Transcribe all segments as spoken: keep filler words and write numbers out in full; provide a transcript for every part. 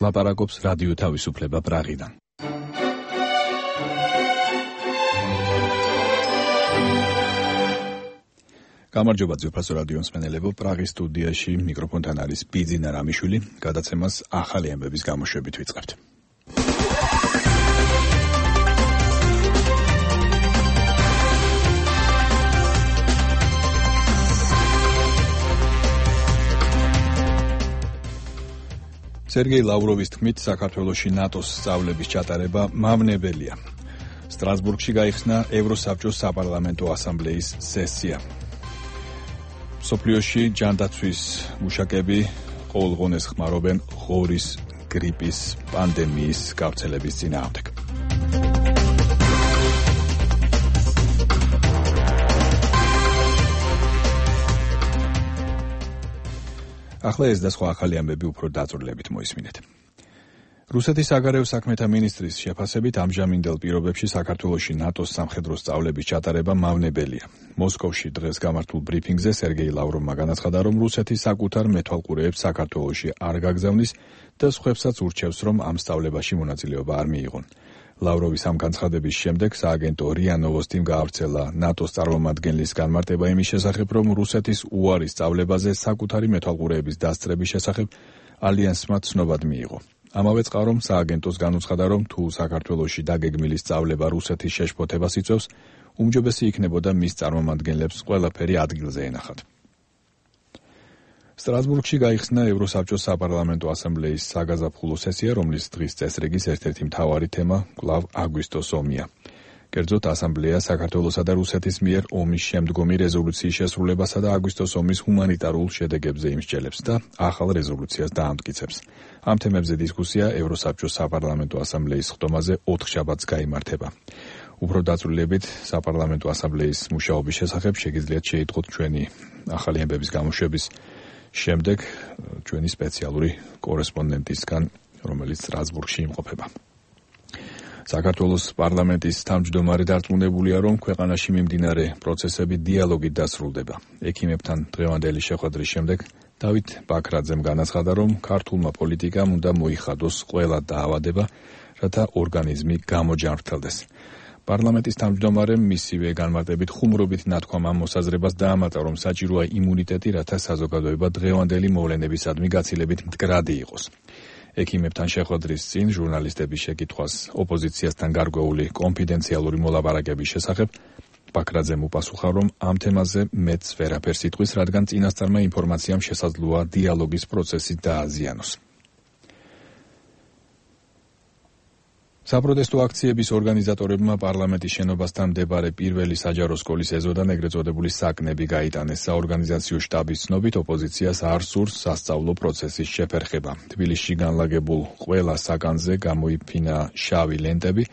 ლაპარაკობს რადიო თავისუფლება პრაღიდან. გამარჯობა ძვირფასო რადიო მსმენელებო, პრაღის სტუდიაში მიკროფონთან არის ბიძინა რამიშვილი, გადაცემას ახალი ამბების გამოშვებით ვიწყებთ. სერგეი ლავროვის თქმით, საქართველოში ნატოს სწავლების ჩატარება მავნებელია. სტრასბურგში გაიხსნა ევროსაბჭოს საპარლამენტო ასამბლეის სესია. სოფლიოში ჯანდაცვის მუშაკები ყოველღონეს ხმარობენ ღორის გრიპის პანდემიის გავრცელების წინააღმდეგ. ახლა ეს და სხვა ახალი ამბები უფრო დაწვრილებით მოისმინეთ. რუსეთის საგარეო საქმეთა მინისტრის შეფასებით ამჟამინდელ პირობებში საქართველოში ნატოს სამხედრო სწავლების ჩატარება მავნებელია. მოსკოვში დღეს გამართულ ბრიფინგზე სერგეი ლავროვმა განაცხადა, რომ რუსეთი საკუთარ მეთვალყურეებს საქართველოში არ გაგზავნის და სხვებსაც ურჩევს, რომ ამ სწავლებაში მონაწილეობა არ მიიღონ. ლავროვის ამ განცხადების შემდეგ სააგენტო რია ნოვოსტიმ გაავრცელა ნატოს წარმომადგენლის განმარტება იმის შესახებ, რომ რუსეთის უარი სწავლებაზე საკუთარი მეთვალყურეების დასწრების შესახებ ალიანსმა ცნობად მიიღო. ამავე წყარომ სააგენტოს განუცხადა, რომ თუ საქართველოში დაგეგმილი სწავლება რუსეთის შეშფოთებას იწვევს, უმჯობესი იქნებოდა მის წარმომადგენლებს ყველაფერი ადგილზე ენახათ. სტრასბურგში გაიხსნა ევროსაბჭოს საპარლამენტო ასამბლეის საგაზაფხულო სესია, რომლის დღის წესრიგის ერთ-ერთი მთავარი თემა კვლავ აგვისტოს ომია. კერძოდ, ასამბლეა საქართველოსა და რუსეთის მიერ ომის შემდგომი რეზოლუციის შესრულებასა და აგვისტოს ომის ჰუმანიტარულ შედეგებზე იმსჯელებს და ახალ რეზოლუციას დაამტკიცებს. ამ თემებზე დისკუსია ევროსაბჭოს საპარლამენტო ასამბლეის ხდომაზე ოთხშაბათს გაიმართება. უფრო დაწვრილებით საპარლამენტო ასამბლეის მუშაობის შესახებ შეგიძლიათ შეიტყოთ ჩვენი ახალი ამბების გამოშვების შემდეგ ჩვენი სპეციალური კორესპონდენტისგან, რომელიც სტრასბურგში იმყოფება. საქართველოს პარლამენტის თავმჯდომარე დარწმუნებულია, რომ ქვეყანაში მიმდინარე პროცესები დიალოგით დასრულდება. ექიმებთან დღევანდელი შეხვედრის შემდეგ დავით ბაქრაძემ განაცხადა, რომ ქართულმა პოლიტიკამ უნდა მოიხადოს ყველა დაავადება, რათა ორგანიზმი გამოჯანმრთელდეს. პარლამენტის თავმჯდომარემ მისივე განმარტებით ხუმრობით ნათქვამ ამ მოსაზრებას დაამატა, რომ საჭიროა იმუნიტეტი, რათა საზოგადოება დღევანდელი მოვლენებისადმი გაცილებით მდგრადი იყოს. ექიმებთან შეხვედრის წინ ჟურნალისტების შეკითხვას ოპოზიციასთან გარკვეული კონფიდენციალური მოლაპარაკების შესახებ ბაქრაძემ უპასუხა, რომ ამ თემაზე მეც ვერაფერს იტყვის, რადგან წინასწარმა ინფორმაციამ შესაძლოა დიალოგის პროცესი დააზიანოს. საპროტესტო აქციების ორგანიზატორებმა პარლამენტის შენობასთან მდებარე პირველი საჯარო სკოლის ეზოდან ეგრეთ წოდებული საკნები გაიტანეს. საორგანიზაციო შტაბის ცნობით, ოპოზიციას არ სურს სასწავლო პროცესის შეფერხება. თბილისში განლაგებულ ყველა საკანზე გამოიფინა შავი ლენტები,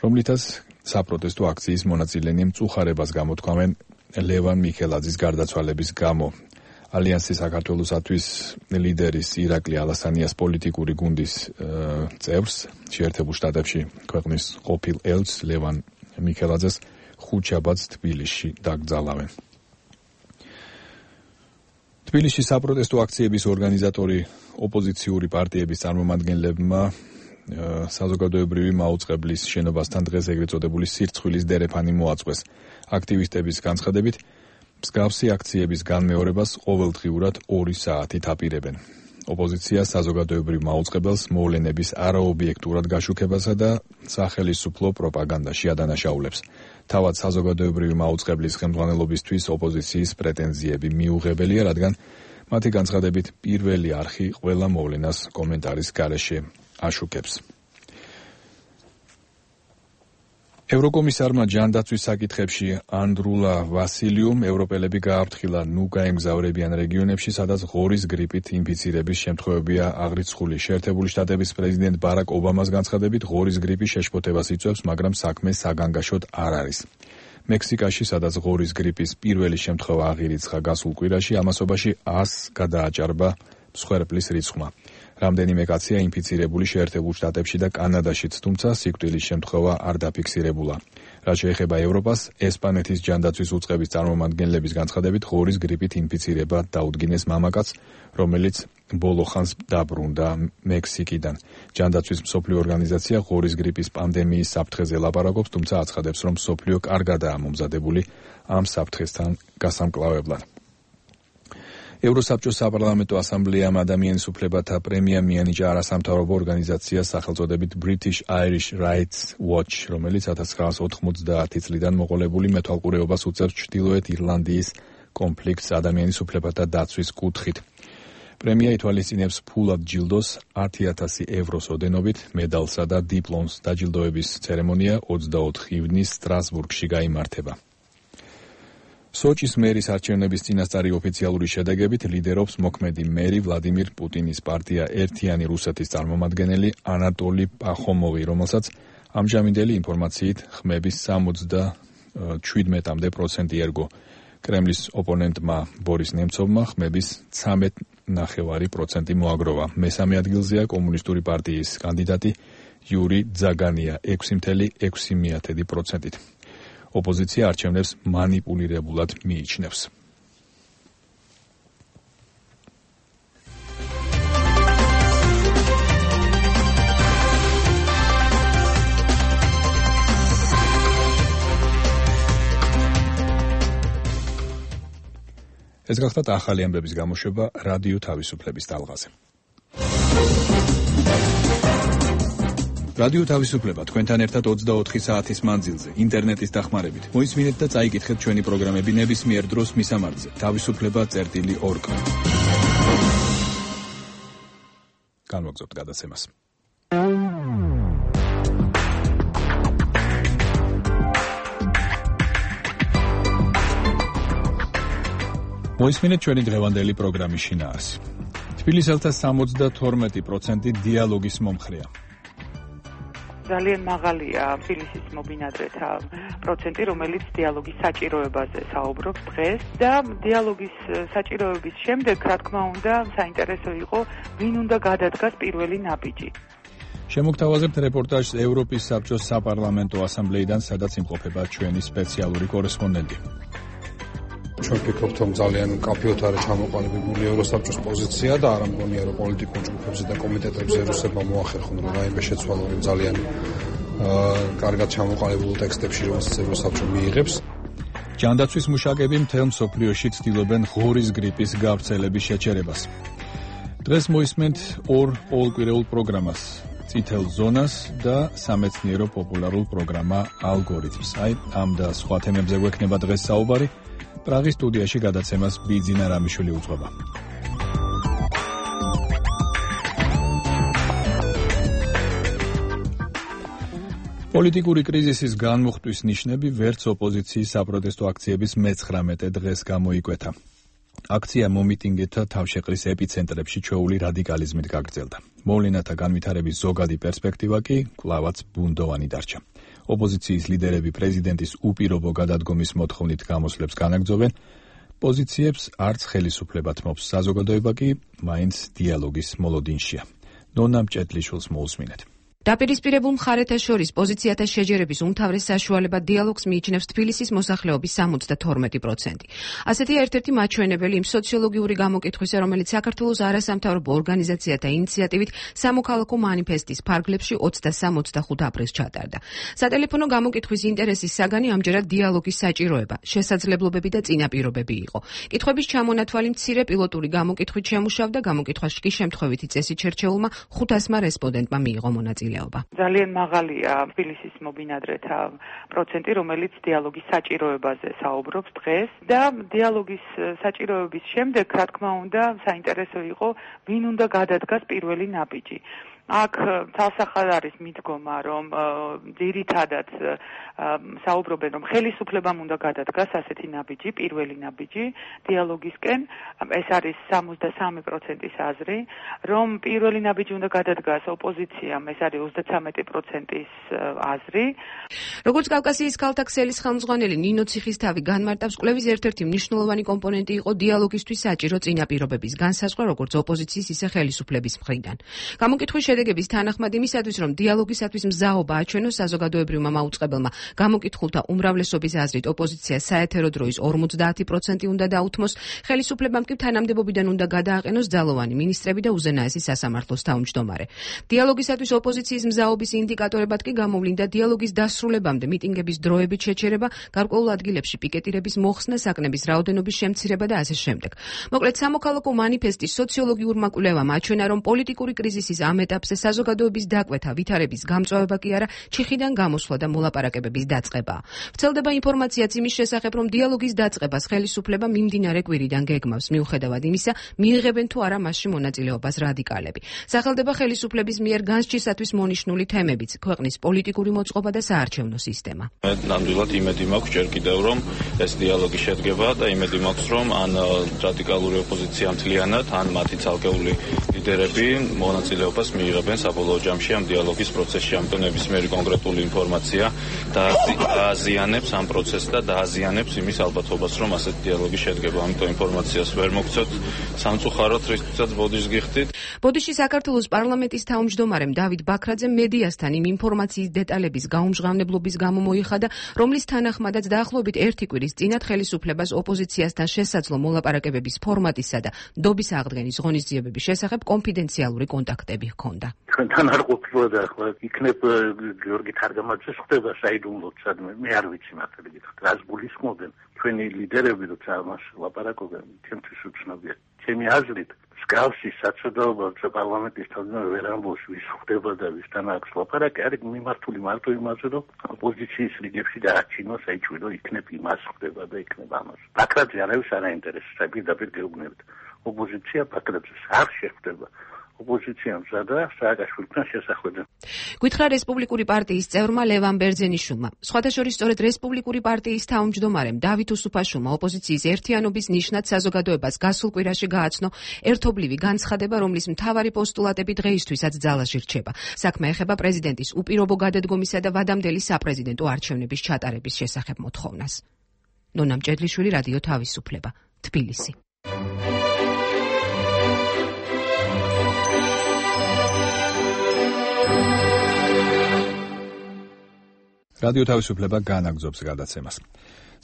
რომლითაც საპროტესტო აქციის მონაწილენი მწუხარებას გამოთქვამენ ლევან მიხელაძის გარდაცვალების გამო. ალიანსი საქართველოსათვის ლიდერის ირაკლი ალასანიას პოლიტიკური გუნდის წევრს შეერთებულ შტატებში ქვეყნის ყოფილ ელჩს ლევან მიხელაძეს ხუთშაბათს თბილისში დაკრძალავენ. თბილისში საპროტესტო აქციების ორგანიზატორი ოპოზიციური პარტიების წარმომადგენლებმა საზოგადოებრივი მაუწყებლის შენობასთან დღეს ეგრეთ წოდებული სირცხვილის დერეფანი მოაწყვეს. აქტივისტების განცხადებით, მსგავსი აქციების განმეორებას ყოველდღიურად ორი საათით აპირებენ. ოპოზიცია საზოგადოებრივ მაუწყებელს მოვლენების არაობიექტურად გაშუქებასა და სახელისუფლო პროპაგანდაში ადანაშაულებს. თავად საზოგადოებრივი მაუწყებლის ხელმძღვანელობისთვის ოპოზიციის პრეტენზიები მიუღებელია, რადგან მათი განცხადებით პირველი არხი ყველა მოვლენას კომენტარის გარეშე აშუქებს. ევროკომისარმა ჯანდაცვის საკითხებში ანდრულა ვასილიუმ ევროპელები გააფრთხილა ნუ გაემგზავრებიან რეგიონებში, სადაც ღორის გრიპით ინფიცირების შემთხვევებია აღრიცხული. შეერთებული შტატების პრეზიდენტ ბარაკ ობამას განცხადებით, ღორის გრიპი შეშფოთებას იწვევს, მაგრამ საქმე საგანგაშოდ არ არის. მექსიკაში, სადაც ღორის გრიპის პირველი შემთხვევა აღირიცხა გასულ კვირაში, ამასობაში ას გადააჭარბა მსხვერპლის რიცხვმა. რამდენიმე კაცია ინფიცირებული შეერთებულ შტატებში და კანადაშიც, თუმცა სიკვდილის შემთხვევა არ დაფიქსირებულა. რაც შეეხება ევროპას, ესპანეთის ჯანდაცვის უწყების წარმომადგენლების განცხადებით ღორის გრიპით ინფიცირება დაუდგინეს მამაკაცს, რომელიც ბოლო ხანს დაბრუნდა მექსიკიდან. ჯანდაცვის მსოფლიო ორგანიზაცია ღორის გრიპის პანდემიის საფრთხეზე ლაპარაკობს, თუმცა აცხადებს, რომ მსოფლიო კარგადაა მომზადებული ამ საფრთხესთან გასამკლავებლად. ევროსაბჭოს საპარლამენტო ასამბლეამ ადამიანის უფლებათა პრემია მიანიჭა არასამთავრობო ორგანიზაციას სახელწოდებით British Irish Rights Watch, რომელიც ათას ცხრაასი ოთხმოცდაათი წლიდან მოყოლებული მეთვალყურეობას უწევს ჩრდილოეთ ირლანდიის კონფლიქტს ადამიანის უფლებათა დაცვის კუთხით. პრემია ითვალისწინებს ფულად ჯილდოს ათი ათასი ევროს ოდენობით, მედალსა და დიპლომს. დაჯილდოების ცერემონია ოცდაოთხ ივნისს სტრასბურგში გაიმართება. სოჭის მერის არჩევნების წინასწარი ოფიციალური შედეგებით ლიდერობს მოქმედი მერი ვლადიმირ პუტინის პარტია ერთიანი რუსეთის წარმომადგენელი ანატოლი პახომოვი, რომელსაც ამჟამინდელი ინფორმაციით ხმების სამოცდაშვიდმეტამდე პროცენტი ერგო. კრემლის ოპონენტმა ბორის ნემცოვმა ხმების ცამეტ ნახევარი პროცენტი მოაგროვა. მესამე ადგილზეა კომუნისტური პარტიის კანდიდატი იური ძაგანია ექვსი მცდამეტი ექვსი პროცენტით. ოპოზიცია არჩევნებს მანიპულირებულად მიიჩნევს. ეს გახლავთ ახალი ამბების გამოშვება რადიო თავისუფლების ტალღაზე. რადიო თავისუფლება თქვენთან ერთად ოცდაოთხი საათის მანძილზე, ინტერნეტის დახმარებით. მოისმინეთ და წაიკითხეთ ჩვენი პროგრამები ნებისმიერ დროს მისამართზე თავისუფლება წერტილი ორგ. განვაგრძობთ გადაცემას. მოისმინეთ ჩვენი დღევანდელი პროგრამის შინაარსი. თბილისელთა სამოცდათორმეტი პროცენტი დიალოგის მომხრეა. ძალიან მაღალია თბილისის მობინადრეთა პროცენტი, რომელიც დიალოგის საჭიროებაზე საუბრობს დღეს და დიალოგის საჭიროების შემდეგ, რა თქმა უნდა, საინტერესო იყო, ვინ უნდა გადადგას პირველი ნაბიჯი. შემოგთავაზებთ რეპორტაჟს ევროპის საბჭოს საპარლამენტო ასამბლეიდან, სადაც იმყოფება ჩვენი სპეციალური კორესპონდენტი. ჩვენ ვფიქრობთ, რომ ძალიან კაფეოთ არის ჩამოყალიბებული ევროსაბჭოს პოზიცია და არ ამგონია, რომ პოლიტიკურ ჯგუფებზე და კომიტეტებზე რუსებმა მოახერხონ, რომ რაიმე შეცვალონ ძალიან კარგად ჩამოყალიბებულ ტექსტებში, რომელსაც ევროსაბჭო მიიღებს. ჯანდაცვის მუშაკები მთელ მსოფლიოში ცდილობენ ღორის გრიპის გავრცელების შეჩერებას. დღეს მოისმენთ ორ ყოველკვირეულ პროგრამას, წითელ ზონას და სამეცნიერო პოპულარულ პროგრამა ალგორითმს. აი, ამ და სხვა თემებზე გვექნება დღეს საუბარი. პრაღის სტუდიაში გადაცემას ბიძინა რამიშვილი უძღვება. პოლიტიკური კრიზისის განმუხტვის ნიშნები ვერც ოპოზიციის საპროტესტო აქციების მეცხრამეტე დღეს გამოიკვეთა. აქცია მომიტინგეთა თავშეყრის ეპიცენტრებში ჩვეული რადიკალიზმით გაგრძელდა. მოვლენათა განვითარების ზოგადი პერსპექტივა კი კვლავაც ბუნდოვანი დარჩა. ოპოზიციის ლიდერები პრეზიდენტის უპირობო გადადგომის მოთხოვნით გამოსვლებს განაგრძობენ, პოზიციებს არც ხელისუფლება თმობს, საზოგადოება კი მაინც დიალოგის მოლოდინშია. ნონა მჭედლიშვილს მოусმინეთ. დაპირისპირებულ მხარეთა შორის პოზიციათა შეჯერების უმთავრეს საშუალება დიალოგს მიიჩნევს თბილისის მოსახლეობის სამოცდათორმეტი პროცენტი. ასეთია ერთ-ერთი მაჩვენებელი იმ სოციოლოგიური გამოკითხვისა, რომელიც საქართველოს არასამთავრობო ორგანიზაციათა ინიციატივით სამოქალაქო მანიფესტის ფარგლებში ოცდასამი ოცდახუთი აპრილს ჩატარდა. სატელეფონო გამოკითხვის ინტერესის საგანი ამჯერად დიალოგის საჭიროება, შესაძლებლობები და წინაპირობები იყო. კითხვების ჩამონათვალი მცირე პილოტური გამოკითხვით შემუშავდა, გამოკითხვაში კი შემთხვევითი წესით შერჩეულმა ხუთასმა რესპონდენტმა მიიღო მონაწილეობა. ძალიან მაღალია თბილისის მობინადრეთა პროცენტი, რომელიც დიალოგის საჭიროებაზე საუბრობს დღეს და დიალოგის საჭიროების შემდეგ, რა თქმა უნდა, საინტერესო იყო, ვინ უნდა გადადგას პირველი ნაბიჯი. აქ თალსახად არის მიდგომა, რომ ძირითადად საუბრობენ, რომ ხელისუფლებამ უნდა გადადგას ასეთი ნაბიჯი, პირველი ნაბიჯი დიალოგისკენ. ეს არის სამოცდასამი პროცენტის აზრი, რომ პირველი ნაბიჯი უნდა გადადგას ოპოზიციამ, ეს არის ოცდათვრამეტი პროცენტის აზრი. როგორც კავკასიის ქალთა ქსელის ხელმძღვანელი ნინო ციხისთავი განმარტავს, კვლევის ერთ-ერთი მნიშვნელოვანი კომპონენტი იყო დიალოგისთვის საჭირო წინაპირობების განსაზღვრა როგორც ოპოზიციის, ისე ხელისუფლების მხრიდან. გამოკითხვის შედეგების თანახმად იმისათვის, რომ დიალოგისათვის მზაობა აჩვენოს საზოგადოებრივმა მაუწყებელმა, გამოკითხულთა უმრავლესობის აზრით ოპოზიცია საეთერო დროის ორმოცდაათი პროცენტი უნდა დაუთმოს, ხელისუფლებამ კი თანამდებობიდან უნდა გადააყენოს ძალოვანი მინისტრები და უზენაესი სასამართლოს თავმჯდომარე. დიალოგისათვის ოპოზიციის მზაობის ინდიკატორებად კი გამოვლინდა დიალოგის დასრულებამდე მიტინგების დროებით შეჩერება, გარკვეულ ადგილებში პიკეტირების მოხსნა, საკნების რაოდენობის შემცირება და ასე შემდეგ. მოკლედ, სამოქალაქო მანიფესტის სოციოლოგიურმა კვლევამ აჩვენა, რომ პოლიტიკური კრიზისის ამ ეტაპზე საზოგადოების დაკვეთა, ვითარების გამწვავება კი არა, ჩიხიდან გამოსვლა და მოლაპარაკებების დაწყება. ვრცელდება ინფორმაციაც იმის შესახებ, რომ დიალოგის დაწყებას ხელისუფლება მიმდინარე კვირიდან გეგმავს, მიუხედავად იმისა, მიიღებენ თუ არა მასში მონაწილეობას რადიკალები. სახელდება ხელისუფლების მიერ განსჯისათვის მონიშნული თემებიც, ქვეყნის პოლიტიკური მოწყობა და საარჩევნო სისტემა. ნამდვილად იმედი მაქვს ჯერ კიდევ, რომ ეს დიალოგი შედგება და იმედი მაქვს, რომ ან რადიკალური ოპოზიცია მთლიანად, ან მათი ცალკეული ლიდერები მონაწილეობას მიიღებენ საბოლოო ჯამში ამ დიალოგის პროცესში. ამიტომ ნებისმიერი კონკრეტული ინფორმაცია დააზიანებს ამ პროცესს და დააზიანებს იმის ალბათობას, რომ ასეთი დიალოგი შედგება. ამიტომ ინფორმაციას ვერ მოგცეთ სამწუხაროდ, რისთვისაც ბოდიშს გიხდით. ბოდიში საქართველოს პარლამენტის თავმჯდომარემ დავით ბაქრაძემ მედიასთან იმ ინფორმაციის დეტალების გაუმჟღავნებლობის გამო მოიხადა, რომლის თანახმადაც დაახლოებით ერთი კვირის წინათ ხელისუფლებას ოპოზიციასთან შესაძლო მოლაპარაკებების ფორმატისა და დობის აღდგენის ღონისძიებების შესახებ კონფიდენციალური კონტაქტები ჰქონდა. ჩვენთან არ ყოფილა ახლა იქნებ გიორგი თარგამაძეს ხდება საიდუმლოდ სადმე მე არ ვიცი მართალი გითხრათ რას გულისხმობენ ჩვენი ლიდერები როცა ამას ლაპარაკობენ ჩემთვის უცნობია ჩემი აზრით მსგავსი საცოდაობა პარლამენტის თავმჯდომარე ვერ ამბობს ვის ხდება და ვისთან აქვს ლაპარაკი არის მიმართული მარტო იმაზე რომ ოპოზიციის რიგებში დააჩინოს აიჩვენო იქნებ იმას ხდება და იქნებ ამას ბაქრაძე არავის არ აინტერესებს პირდაპირ გეუბნებით ოპოზიცია ბაქრაძეს არ შეხვდება ოპოზიცია მზადა სააკაშვილთან შესახვედრად. გითხრა რესპუბლიკური პარტიის წევრმა ლევან ბერძენიშვილმა. სხვათა შორის სწორედ რესპუბლიკური პარტიის თავმჯდომარემ დავით უსუფაშვილმა ოპოზიციის ერთიანობის ნიშნად საზოგადოებას გასულ კვირაში გააცნო ერთობლივი განცხადება, რომლის მთავარი პოსტულატები დღეისთვისაც ძალაში რჩება. საქმე ეხება პრეზიდენტის უპირობო გადადგომისა და ვადამდელი საპრეზიდენტო არჩევნების ჩატარების შესახებ მოთხოვნას. ნონა მჭედლიშვილი, რადიო თავისუფლება, თბილისი. რადიო თავისუფლება განაგრძობს გადაცემას.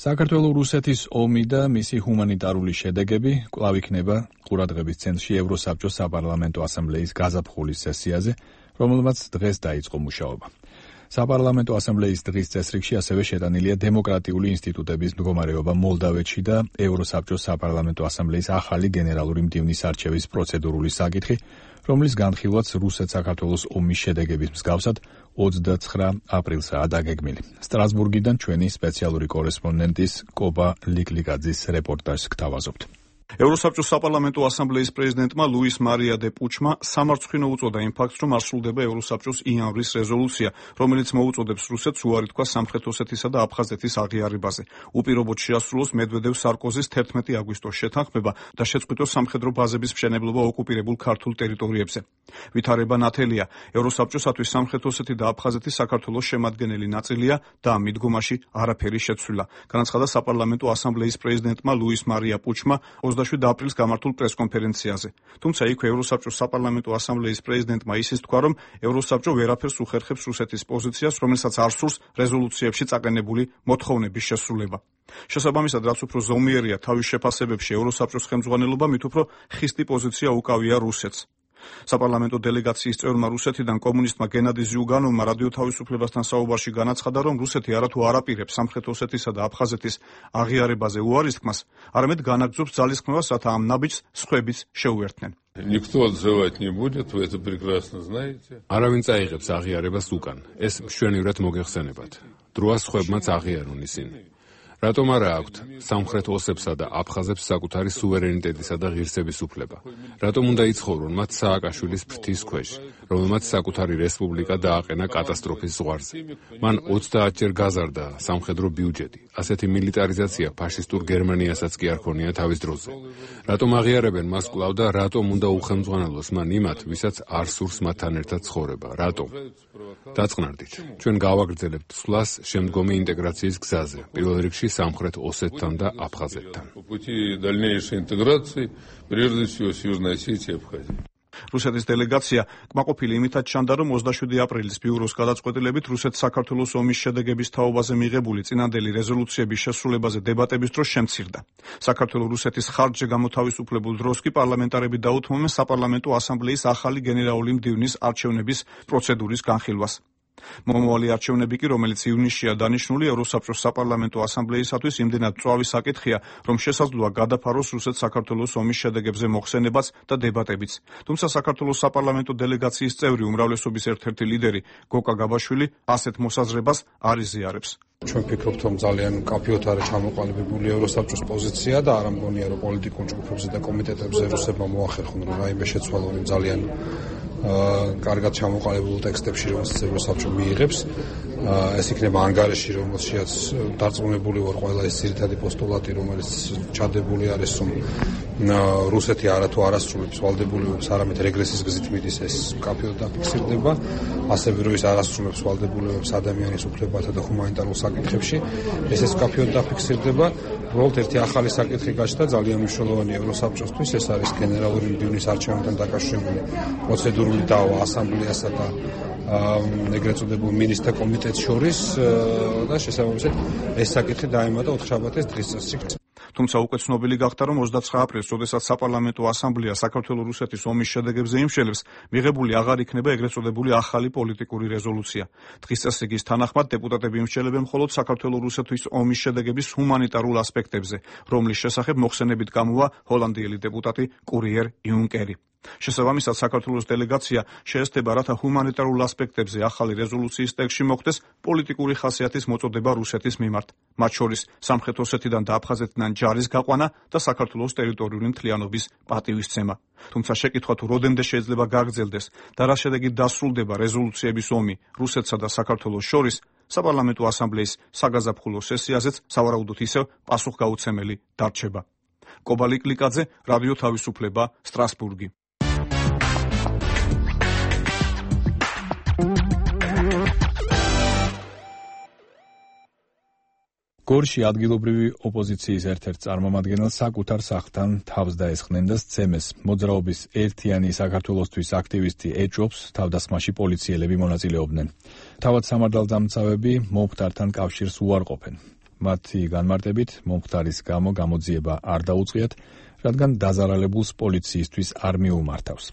საქართველო-რუსეთის ომი და მისი ჰუმანიტარული შედეგები კვლავ იქნება ყურადღების ცენტრში ევროსაბჭოს საპარლამენტო ასამბლეის გაზაფხულის სესიაზე, რომელმაც დღეს დაიწყო მუშაობა. საპარლამენტო ასამბლეის დღის წესრიგში ასევე შეტანილია დემოკრატიული ინსტიტუტების მდგომარეობა მოლდავეთში და ევროსაბჭოს საპარლამენტო ასამბლეის ახალი გენერალური მდივნის არჩევის პროცედურული საკითხი, რომლის განხილვაც რუსეთ-საქართველოს ომის შედეგების მსგავსად ოცდაცხრა აპრილსაა დაგეგმილი. სტრასბურგიდან ჩვენი სპეციალური კორესპონდენტის კობა ლიკლიკაძის რეპორტაჟს გთავაზობთ. ევროსაბჭოს საპარლამენტო ასამბლეის პრეზიდენტმა ლუის მარია დე პუჩმა სამარცხვინო უწოდა იმ ფაქტს, რომ არ სრულდება ევროსაბჭოს იანვრის რეზოლუცია, რომელიც მოუწოდებს რუსეთს უარი თქვა სამხრეთ ოსეთისა და აფხაზეთის აღიარებაზე. უპირობოდ შეასრულოს მედვედევ-სარკოზის თერთმეტი აგვისტოს შეთანხმება და შეწყვიტოს სამხედრო ბაზების მშენებლობა ოკუპირებულ ქართულ ტერიტორიებზე. ვითარება ნათელია. ევროსაბჭოსათვის სამხრეთ ოსეთი და აფხაზეთი საქართველოს შემადგენელი ნაწილია და ამ მიდგომაში არაფერი შეცვლილა. განაცხადა საპარლამენტო ასამბლეის პრეზიდენტმა ლუის მარია პუჩმა ოცდაშვიდ აპრილს გამართულ პრესკონფერენციაზე. თუმცა იქ ევროსაბჭოს საპარლამენტო ასამბლეის პრეზიდენტმა ისიც თქვა, რომ ევროსაბჭო ვერაფერს უხერხებს რუსეთის პოზიციას, რომელსაც არ სურს რეზოლუციებში წაყენებული მოთხოვნების შესრულება. შესაბამისად, რაც უფრო ზომიერია თავის შეფასებებში ევროსაბჭოს ხელმძღვანელობა, მით უფრო ხისტი პოზიცია უკავია რუსეთს. საპარლამენტო დელეგაციის წევრმა რუსეთიდან კომუნისტმა გენადი ზიუგანოვმა რადიო თავისუფლებასთან საუბარში განაცხადა, რომ რუსეთი არათუ არ აპირებს სამხრეთ ოსეთისა და აფხაზეთის აღიარებაზე უარისთქმას, არამედ განაგრძობს ძალისხმევას, რათა ამ ნაბიჯს სხვებიც შეუერთდნენ. Никто отзывать не будет, вы это прекрасно знаете. არავინ წაიღებს აღიარებას უკან. ეს მშვენივრად მოგეხსენებათ. დროას სხვებმაც აღიარონ ისინი. რატომ არა აქვთ სამხრეთ ოსებსა და აფხაზებს საკუთარი სუვერენიტეტისა და ღირსების უფლება? რატომ უნდა იცხოვრონ მათ სააკაშვილის ფრთის ქვეშ, რომელმაც საკუთარი რესპუბლიკა დააყენა კატასტროფის ზღვარზე? მან ოცდაათჯერ გაზარდა სამხედრო ბიუჯეტი. ასეთი მილიტარიზაცია ფაშისტურ გერმანიასაც კი არ ქონია თავის დროზე. რატომ აღიარებენ მას კვლავ და რატომ უნდა უხელმძღვანელოს მან იმათ, ვისაც არ სურს მათთან ერთად ცხოვრება? რატომ? დაწყნარდით. ჩვენ გავაგრძელებთ სვლას შემდგომი ინტეგრაციის გზაზე, პირველ რიგში სამხრეთ ოსეთთან და აფხაზეთთან. რუსეთის დელეგაცია კმაყოფილი იმითაც ჩანდა, რომ ოცდაშვიდი აპრილის ბიუროს გადაწყვეტილებით რუსეთს საქართველოს ომის შედეგების თაობაზე მიღებული წინანდელი რეზოლუციების შესრულებაზე დებატების დრო შემცირდა. საქართველოს რუსეთის ხარჯზე გამოთავისუფლებულ დროს კი პარლამენტარები დაუთმობენ საპარლამენტო ასამბლეის ახალი გენერალური მდივნის არჩევნების პროცედურის განხილვას. მომავალი არჩევნები კი, რომელიც ივნისშია დანიშნული, ევროსაბჭოს საპარლამენტო ასამბლეისათვის იმდენად მწვავი საკითხია, რომ შესაძლოა გადაფაროს რუსეთ-საქართველოს ომის შედეგებზე მოხსენებაც და დებატებიც. თუმცა საქართველოს საპარლამენტო დელეგაციის წევრი უმრავლესობის ერთ-ერთი ლიდერი გოკა გაბაშვილი ასეთ მოსაზრებას არ იზიარებს. ჩვენ ვფიქრობთ, რომ ძალიან მკაფიოდ არის ჩამოყალიბებული ევროსაბჭოს პოზიცია და არ ამგონია, რომ პოლიტიკურ ჯგუფებზე და კომიტეტებზე რუსებმა მოახერხონ, რომ რაიმე შეცვალონ ძალიან კარგად ჩამოყალიბებულ ტექსტებში, რომელსაც ევროსაბჭო მიიღებს. ეს იქნება ანგარიში, რომელშიც დარწმუნებული ვარ ყველა ეს ძირითადი პოსტულატი, რომელიც ჩადებული არის, რომ რუსეთი არათუ არასრულებს ვალდებულებებს, არამედ რეგრესის გზით მიდის, ეს მკაფიოდ დაფიქსირდება. ასევე რომ ის არასრულებს ვალდებულებებს ადამიანის უფლებათა და ჰუმანიტარულ საკითხებში, ესეც მკაფიოდ დაფიქსირდება. უბრალოდ ერთი ახალი საკითხი გაჩნდა, ძალიან მნიშვნელოვანი ევროსაბჭოსთვის, ეს არის გენერალური მდივნის არჩევნებთან დაკავშირებული პროცედურული დავა ასამბლეასა და ეგრეთ წოდებულ მინისტრთა კომიტეტს შორის და შესაბამისად ეს საკითხი დაემატა ოთხშაბათის დღის წესრიგს. თუმცა უკვე ცნობილი გახდა, რომ ოცდაცხრა აპრილს, როდესაც საპარლამენტო ასამბლეა საქართველოს-რუსეთის ომის შედეგებზე იმშელებს, მიღებული აღარ იქნება ეგრეთ წოდებული ახალი პოლიტიკური რეზოლუცია. დღის წესრიგის თანახმად დეპუტატები იმშელებენ მხოლოდ საქართველოს-რუსეთის ომის შედეგების ჰუმანიტარულ ასპექტებზე, რომლის შესახებ მოხსენებით გამოვა ჰოლანდიელი დეპუტატი კურიერ იუნკერი. შესაბამისად, საქართველოს დელეგაცია შეესწრება, რათა ჰუმანიტარულ ასპექტებზე ახალი რეზოლუციის ტექსტში მოხდეს პოლიტიკური ხასიათის მოწოდება რუსეთის მიმართ, მათ შორის სამხრეთ ოსეთიდან და აფხაზეთიდან ჯარის გაყვანა და საქართველოს ტერიტორიული მთლიანობის პატივისცემა. თუმცა შეკითხვა თუ როდემდე შეიძლება გაგრძელდეს და რა შედეგით დასრულდება რეზოლუციების ომი რუსეთსა და საქართველოს შორის, საპარლამენტო ასამბლეის საგაზაფხულო სესიაზეც სავარაუდოდ ისევ პასუხგაუცემელი დარჩება. კობალი კლიკაძე, რადიო თავისუფლება, სტრასბურგი. გორში ადგილობრივი ოპოზიციის ერთ-ერთ წარმომადგენელს საკუთარ სახლთან თავს დაესხნენ და სცემეს. მოძრაობის ერთიანი საქართველოსთვის აქტივისტი ეჭობს, თავდასხმაში პოლიციელები მონაწილეობდნენ. თავად სამართალდამცავები მომხდართან კავშირს უარყოფენ. მათი განმარტებით, მომხდარის გამო გამოძიება არ დაუწყიათ, რადგან დაზარალებულს პოლიციისთვის არ მიუმართავს.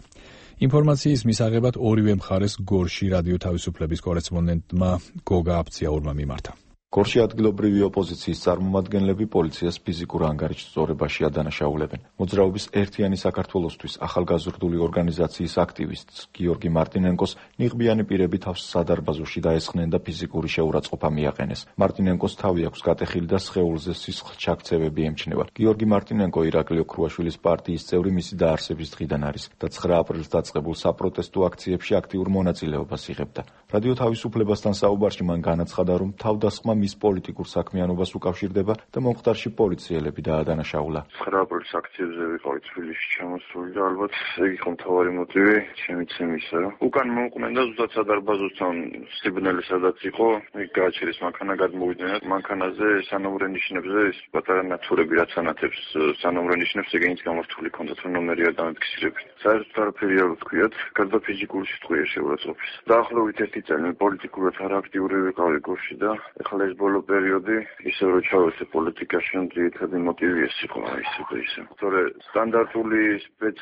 ინფორმაციის მისაღებად ორივე მხარეს გორში რადიო თავისუფლების კორესპონდენტმა გოგა აფციაურმა მიმართა. გორში ადგილობრივი ოპოზიციის წარმომადგენლები პოლიციას ფიზიკურ ანგარიშს სწორებაში ადანაშაულებენ. მოძრაობის ერთიანი საქართველოსთვის ახალგაზრდული ორგანიზაციის აქტივისტს გიორგი მარტინენკოს ნიღბიანი პირები თავს სადარბაზოში დაესხნენ და ფიზიკური შეურაცხყოფა მიაყენეს. მარტინენკოს თავი აქვს გატეხილი და სხეულზე სისხლჩაქცევები ემჩნევა. გიორგი მარტინენკო ირაკლი ოქრუაშვილის პარტიის წევრი მისი დაარსების დღიდან არის და ცხრა აპრილს დაწყებულ საპროტესტო აქციებში აქტიურ მონაწილეობას იღებდა. რადიო თავისუფლებასთან საუბარში მან განაცხადა, რომ თავდასხმა მის პოლიტიკურ საქმიანობას უკავშირდება და მომხდარში პოლიციელები დაადანაშაულა. ცხრა აპრილის აქციებზე ვიყავი თბილისში ჩამოსული და ალბათ ეგ იყო მთავარი მოტივი შემიცემისა, რომ უკან მოუყვნენ და ზუსტად სადარბაზოსთან სიბნელი სადაც იყო, ეგ გააჩერეს მანქანა, გადმოვიდნენ და მანქანაზე სანომრე ნიშნებზე ის პატარა ნათურები რაც ანათებს სანომრე ნიშნებს ეგენიც გამართული ჰქონდათ, რომ ნომერი არ დამიფიქსირებინ. საერთოდ არაფერი არ ვთქვიათ, გარდა ფიზიკური სიტყვია შეურაცხყოფის. დაახლოებით ერთი წელი პოლიტიკურად არ აქტიური ვიყავი გორში და ეხლა ეს ბოლო პერიოდი ისევ რომ ჩავეცე პოლიტიკაში, ძირითადი მოტივი ეს იყო ისე და ისე. თორე სტანდარტული სპეც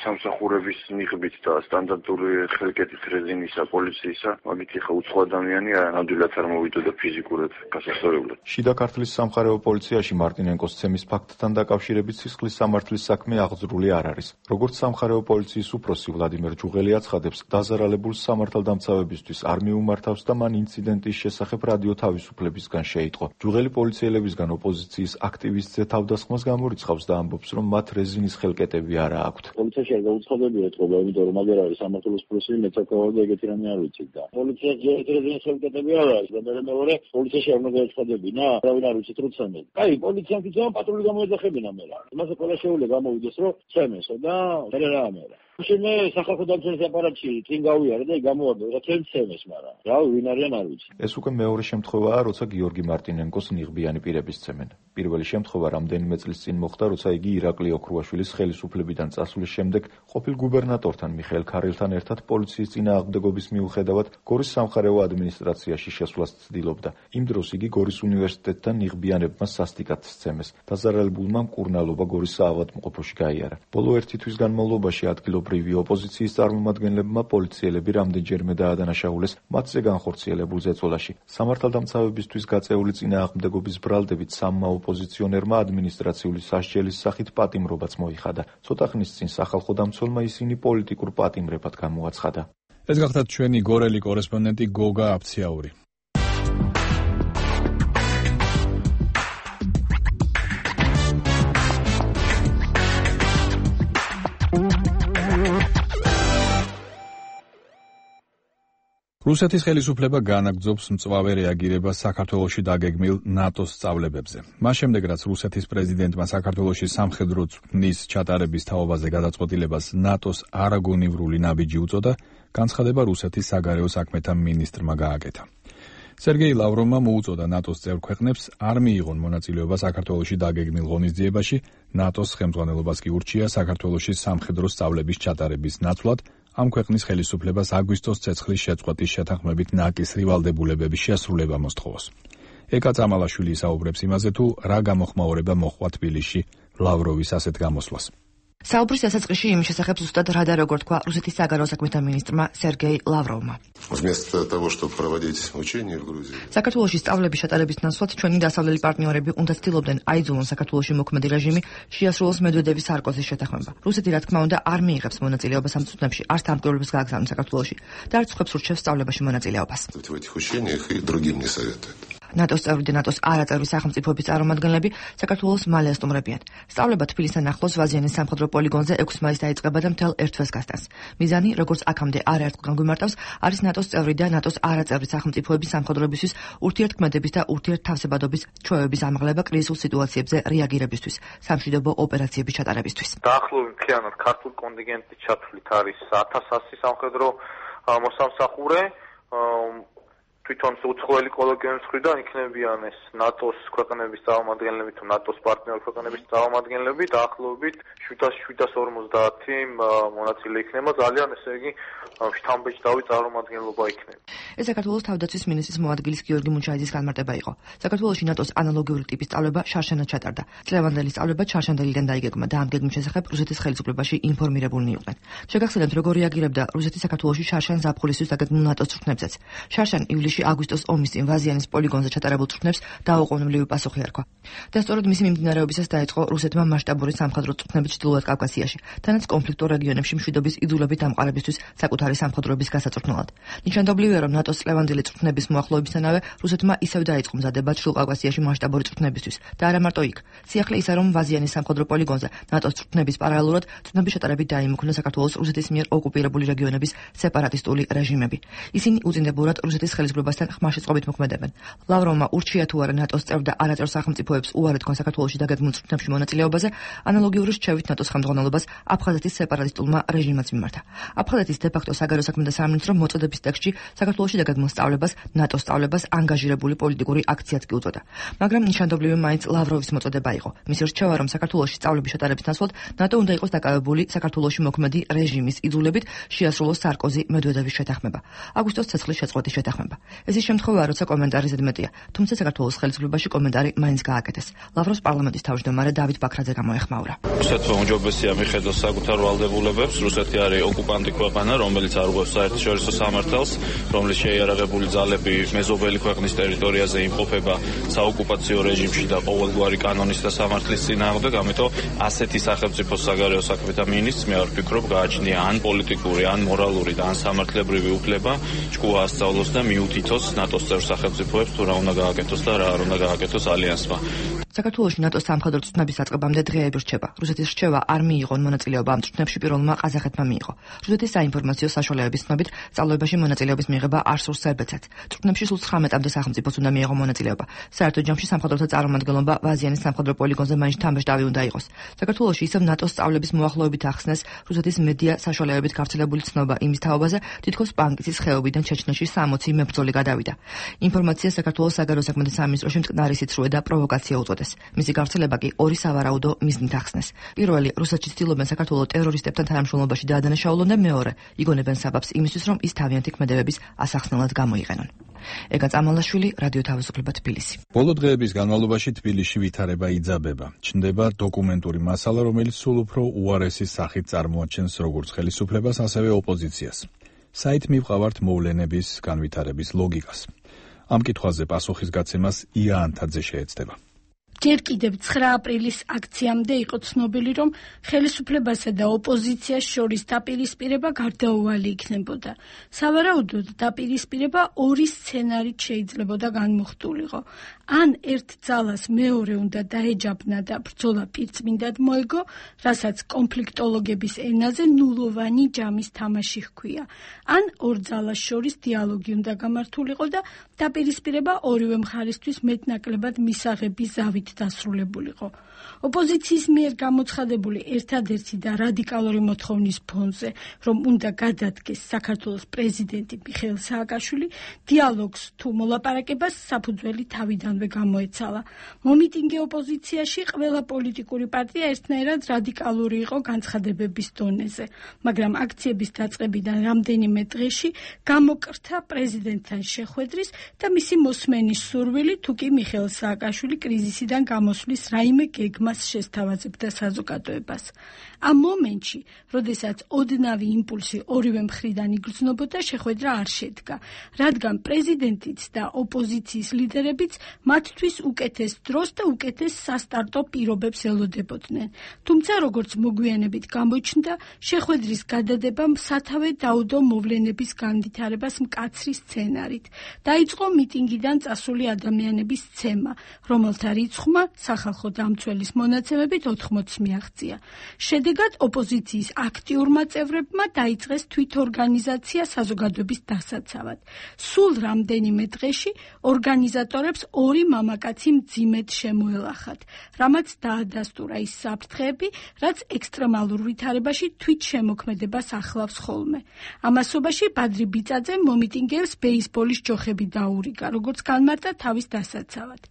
სამსახურების ნიღბით და სტანდარტული ხელკეთით რეზინისა პოლიციისა, მაგით ხა უცხო ადამიანი ნამდვილად არ მოვიდოდა ფიზიკურად გასასწორებლად. შიდა ქართლის სამხარეო პოლიციაში მარტინენკოს ცემის ფაქტთან დაკავშირებით სისხლის სამართლის საქმე აღძრული არ არის. როგორც სამხარეო პოლიციის უფროსი ვლადიმერ ჯუღელი აცხადებს, დაზარალებულ სამართალდამცავებისთვის არ მიუმართავს და მან ინციდენტის შესახებ რადიო თავისუფლებისგან შეიტყო. ჯუღელი პოლიციელებისგან ოპოზიციის აქტივისტზე თავდასხმას გამორიცხავს და ამბობს, რომ მათ რეზინის ხელკეტები არა აქვთ. პოლიციაში არ გაუცხადებია ეთყობა, იმიტომ რომ აგერ არის სამართლის პროცესი, მეცაკავად და ეგეთი რამე არ ვიცით და. პოლიციაში რეზინის ხელკეტები არ არის და მეორე პოლიციაში არ უნდა გაუცხადებინა, არავინ არ ვიცით რომ ცემენ. აი, პოლიციამ კითხვა პატრული გამოეძახებინა მე რა. იმასე ყველა შეუძლია გამოვიდეს რომ ცემესო და მე რა ამერა. მე სახალხო დამცველის აპარატში წინ გავიარე და გამოვარდა რა თემცემეს, მაგრამ რა ვინ არიან არ ვიცი. ეს უკვე მეორე შემთხვევაა, როცა გიორგი მარტინენკოს ნიღბიანი პირები სცემენ. პირველი შემთხვევა რამდენიმე წლის წინ მოხდა, როცა იგი ირაკლი ოქრუაშვილის ხელისუფლებიდან წასვლის შემდეგ ყოფილ გუბერნატორთან მიხეილ ქარელთან ერთად პოლიციის წინააღმდეგობის მიუხედავად გორის სამხარეო ადმინისტრაციაში შესვლას ცდილობდა. იმ დროს იგი გორის უნივერსიტეტთან ნიღბიანებმა სასტიკად სცემეს. დაზარალებულმა მკურნალობა გორის საავადმყოფოში გაიარა. ბოლო ერთი თვის განმავლობაში ადგილობრივი ოპოზიციის წარმომადგენლებმა პოლიციელები რამდენჯერმე დაადანაშაულეს მათზე განხორციელებულ ზეწოლაში. სამართალდამცავებისთვის გაწეული წინააღმდეგობის ბრალდებით სამმა ოპოზიციონერმა ადმინისტრაციული სასჯელის სახით პატიმრობაც მოიხადა. ცოტა ხნის წინ სახალხო დამცველმა ისინი პოლიტიკურ პატიმრებად გამოაცხადა. ეს გახლავთ ჩვენი გორელი კორესპონდენტი გოგა აფციაური. რუსეთის ხელისუფლება განაგრძობს მწვავე რეაგირებას საქართველოში დაგეგმილ ნატოს სწავლებებზე. მას შემდეგ, რაც რუსეთის პრეზიდენტმა საქართველოში სამხედრო წვნის ჩატარების თაობაზე გადაწყვეტილებას ნატოს არაგონივრული ნაბიჯი უწოდა, განცხადება რუსეთის საგარეო საქმეთა მინისტრმა გააკეთა. სერგეი ლავროვმა მოუწოდა ნატოს წევრ ქვეყნებს არ მიიღონ მონაწილეობა საქართველოში დაგეგმილ ღონისძიებაში, ნატოს ხელმძღვანელობას კი ურჩია საქართველოში სამხედრო სწავლების ჩატარების ნაცვლად ამ ქვეყნის ხელისუფლებას აგვისტოს ცეცხლის შეწყვეტის შეთანხმებით ნაკისრი ვალდებულებების შესრულება მოსთხოვოს. ეკა წამალაშვილი საუბრებს იმაზე, თუ რა გამოხმაურება მოჰყვა თბილისში ლავროვის ასეთ გამოსვლას. საუბრის დასაწყისში იმის შესახებ ზუსტად რა და როგორ თქვა რუსეთის საგარეო საქმეთა მინისტრმა სერგეი ლავროვმა. საქართველოში სწავლების ჩატარების ნაცვლად ჩვენი დასავლელი პარტნიორები უნდა ცდილობდნენ აიძულონ საქართველოში მოქმედი რეჟიმი შეასრულოს მედვედევის სარკოზის შეთანხმება. რუსეთი რა თქმა უნდა არ მიიღებს მონაწილეობას ამ წვნებში, არც დამკვირვებლებს გააგზავნოს საქართველოში და არც ხვებს ურჩევს სწავლებაში მონაწილეობას. ნატოს წევრი და ნატოს არაწევრი სახელმწიფოების წარმომადგენლები საქართველოს მალე ასტუმრებიან. სწავლება თბილისთან ახლოს ვაზიანის სამხედრო პოლიგონზე ექვსი მაისს დაიწყება და მთელ ერთ თვეს გასტანს. მიზანი, როგორც აქამდე არაერთხელ განგვიმარტავს, არის ნატოს წევრი და ნატოს არაწევრი სახელმწიფოების სამხედროებისთვის ურთიერთქმედების და ურთიერთთავსებადობის ჩვევების ამაღლება კრიზისულ სიტუაციებზე რეაგირებისთვის, სამშვიდობო ოპერაციების ჩატარებისთვის. დაახლოებით მთლიანად ქართულ კონტინგენტის ჩათვლით არის ათას ასი სამხედრო მოსამსახურე. თვითონ უცხოელი კოლეგიების მხრიდან იქნებიან ეს ნატოს ქვეყნების წარმომადგენლები თუ ნატოს პარტნიორ ქვეყნების წარმომადგენლები დაახლოებით შვიდას ორმოცდაათი მონაწილე იქნება, ძალიან ესე იგი შთამბეჭდავი წარმომადგენლობა იქნება. ეს საქართველოს თავდაცვის მინისტრის მოადგილის გიორგი მუნჩაიძის განმარტება იყო. საქართველოში ნატოს ანალოგიური ტიპის სწავლება შარშანად ჩატარდა. წლევანდელი სწავლება ჩარშანდელიდან დაიგეგმა და ამ გეგმის შესახებ რუსეთის ხელისუფლებაში ინფორმირებულნი იყვნენ. შეგახსენებთ, როგორ რეაგირებდა რუსეთი საქართველოში შარშან ზაფხულისთვის დაგეგმილ ნატოს წვრთნებზეც. შარშან ივლისში აგვისტოს ომის წინ ვაზიანის პოლიგონზე ჩატარებულ წვრთნებს დაუყოვნებლივი პასუხი არქვა. და სწორედ მისი მიმდინარეობისას დაიწყო რუსეთმა მასშტაბური სამხედრო წვრთნები ჩრდილოეთ კავკასიაში, თანაც კონფლიქტურ რეგიონებში მშვიდობის იძულებით დამყარებისთვის საკუთარი სამხედროების გასაწვრთნელად. ნიშანდობლივია, რომ ნატოს წლევანდელი წვრთნების მოახლოებისთანავე რუსეთმა ისევ დაიწყო მზადება ჩრდილო კავკასიაში მასშტაბური წვრთნებისთვის და არა მარტო იქ. სიახლე ისე, რომ ვაზიანის სამხედრო პოლიგონზე ნატოს წვრთნების პარალელურად წვრთნების ჩატარებით დაიმუქნა საქართველოს რუსეთის მიერ ოკუპირებული რეგიონების სეპარატისტული რეჟიმები. ისინი უწინდებურად რუსეთის ხელისუფლებასთან ხმაშეწყობით მოქმედებენ. ლავროვმა ურჩია თუ არა ნატოს წევრ და არაწევრ სახელმწიფოებს უარი თქვან საქართველოში დაგეგმილ წვრთნებში მონაწილეობაზე, ანალოგიური რჩევით ნატოს ხელმძღვანელობას აფხაზეთის სეპარატისტულმა რეჟიმაც მიმართა. აფხაზეთის დე-ფაქტო საგარეო საქმეთა სამინისტრო მოწოდების ტექსტში საქართველოში დაგეგმილ სწავლებას, ნატოს სწავლებას ანგაჟირებული პოლიტიკური აქციაც კი უწოდა. მაგრამ ნიშანდობლივი მაინც ლავროვის მოწოდება იყო. მისი რჩევა, რომ საქართველოში სწავლების ჩატარების ნაცვლად ნატო უნდა იყოს დაკავებული საქართველოში მოქმედი რეჟიმის იძულებით შეასრულოს სარკოზი მედვედევის შეთანხმება. აგვისტოს ცეცხლის შეწყვეტის შეთანხმება. ეს ის შემთხვევაა, როცა კომენტარი ზედმეტია, თუმცა საქართველოს ხელისუფლებაში კომენტარი მაინც გააკეთეს. ლავროვს პარლამენტის თავმჯდომარე დავით ბაქრაძე გამოეხმაურა. რუსეთმა უმჯობესია მიხედოს საკუთარ ვალდებულებებს. რუსეთი არის ოკუპანტი ქვეყანა, რომელიც არღვევს საერთაშორისო სამართალს, რომლის შეიარაღებული ძალები მეზობელი ქვეყნის ტერიტორიაზე იმყოფება საოკუპაციო რეჟიმში და ყოველგვარი კანონის და სამართლის წინააღმდეგ, ამიტომ ასეთი სახელმწიფოს საგარეო საქმეთა მინისტრს მე არ ვფიქრობ გააჩნია ან პოლიტიკური, ან მორალური და ან სამართლებრივი უფლება ჭკუა ასწავლოს და მიუთითოს ნატოს წევრ სახელმწიფოებს თუ რა უნდა გააკეთოს და რა არ უნდა გააკეთოს ალიანსმა. საქართველოში ნატოს სამხედრო წვრთნების დაწყებამდე დღეები რჩება. რუსეთის რჩევა არ მიიღონ მონაწილეობა ამ წვრთნებში პირველმა ყაზახეთმა მიიღო. რუსეთის საინფორმაციო საშუალებების ცნობით, სწავლობაში მონაწილეობის მიღება არ სურს სერბეთსაც. წვრთნებში სულ ცხრამეტამდე სახელმწიფოს უნდა მიიღო მონაწილეობა. საერთო ჯამში სამხედროთა წარმომადგენლობა ვაზიანის სამხედრო პოლიგონზე მაინც თამბეშტავი უნდა იყოს. საქართველოში ისევ ნატოს სწავლების მოახლოებით ახსნეს რუსეთის მედია საშუალებებით გავრცელებული ცნობა იმის თაობაზე, თითქოს პანკისის ხეობიდან ჩეჩნეთში სამოცი მებრძოლი გადავიდა. ინფორმაცია საქართველოს საგარეო საქმეთა სამინისტროში მტკნარი სიცრუე და პროვოკაცია უწოდეს. მისი გავრცელება კი ორი სავარაუდო მიზნით ახსნეს. პირველი, რუსეთში ცდილობენ საქართველოს ტერორისტებთან თანამშრომლობაში დაადანაშაულონ და მეორე, იგონებენ საბაბს იმისთვის, რომ ის თავიანთი ქმედებების ასახსნელად გამოიყენონ. ეგა წამალაშვილი, რადიო თავისუფლება თბილისი. ბოლო დღეების განმავლობაში თბილისში ვითარება იძაბება. ჩნდება დოკუმენტური მასალა, რომელიც სულ უფრო უარესი სახით წარმოაჩენს როგორც ხელისუფლებას, ასევე ოპოზიციას. საით მივყავართ მოვლენების განვითარების ლოგიკას. ამ კითხვაზე პასუხის გაცემას ია ანთაძე შეეცდება. ჯერ კიდევ ცხრა აპრილის აქციამდე იყო ცნობილი, რომ ხელისუფლებასა და ოპოზიციას შორის დაპირისპირება გარდაუვალი იქნებოდა. სავარაუდოდ დაპირისპირება ორი სცენარით შეიძლებოდა განმუხტულიყო. ან ერთ ძალას მეორე უნდა დაეჯაბნა და ბრძოლა პირწმინდად მოეგო, რასაც კონფლიქტოლოგების ენაზე ნულოვანი ჯამის თამაში ჰქვია. ან ორ ძალას შორის დიალოგი უნდა გამართულიყო და დაპირისპირება ორივე მხარისთვის მეტნაკლებად მისაღები ზავით დასრულებულიყო. ოპოზიციის მიერ გამოცხადებული ერთადერთი და რადიკალური მოთხოვნის ფონზე, რომ უნდა გადადგეს საქართველოს პრეზიდენტი მიხეილ სააკაშვილი, დიალოგს თუ მოლაპარაკებას საფუძველი თავიდანვე გამოეცალა. მომიტინგე ოპოზიციაში ყველა პოლიტიკური პარტია ერთნაირად რადიკალური იყო განცხადებების დონეზე, მაგრამ აქციების დაწყებიდან რამდენიმე დღეში გამოკრთა პრეზიდენტთან შეხვედრის და მისი მოსმენის სურვილი, თუ კი მიხეილ სააკაშვილი კრიზისიდან გამოსვლის რაიმე გეგმას შესთავაზებდა საზოგადოებას. ამ მომენტში, როდესაც ოდნავი იმპულსი ორივე მხრიდან იგრძნობოდა, შეხვედრა არ შედგა, რადგან პრეზიდენტიც და ოპოზიციის ლიდერებიც მათთვის უკეთეს დროს და უკეთეს სასტარტო პირობებს ელოდებოდნენ. თუმცა, როგორც მოგვიანებით გამოჩნდა, შეხვედრის გადადებამ სათავე დაუდო მოვლენების განვითარებას მკაცრი სცენარით. დაიწყო მიტინგიდან წასული ადამიანების ცემა, რომელთა რიცხვმა სახალხო დამცველის მონაცემებით ოთხმოცს მიაღწია. შედეგად ოპოზიციის აქტიურმა წევრებმა დაიწყეს თვითორგანიზაცია საზოგადოების დასაცავად. სულ რამდენიმე დღეში ორგანიზატორებს ორი მამაკაცი მძიმედ შემოელახათ, რამაც დაადასტურა ის საფრთხეები, რაც ექსტრემალურ ვითარებაში თვით შემოქმედებას ახლავს ხოლმე. ამასობაში ბადრი ბიწაძე მომიტინგეებს ბეისბოლის ჯოხები დაურიგა, როგორც განმარტა თავის დასაცავად.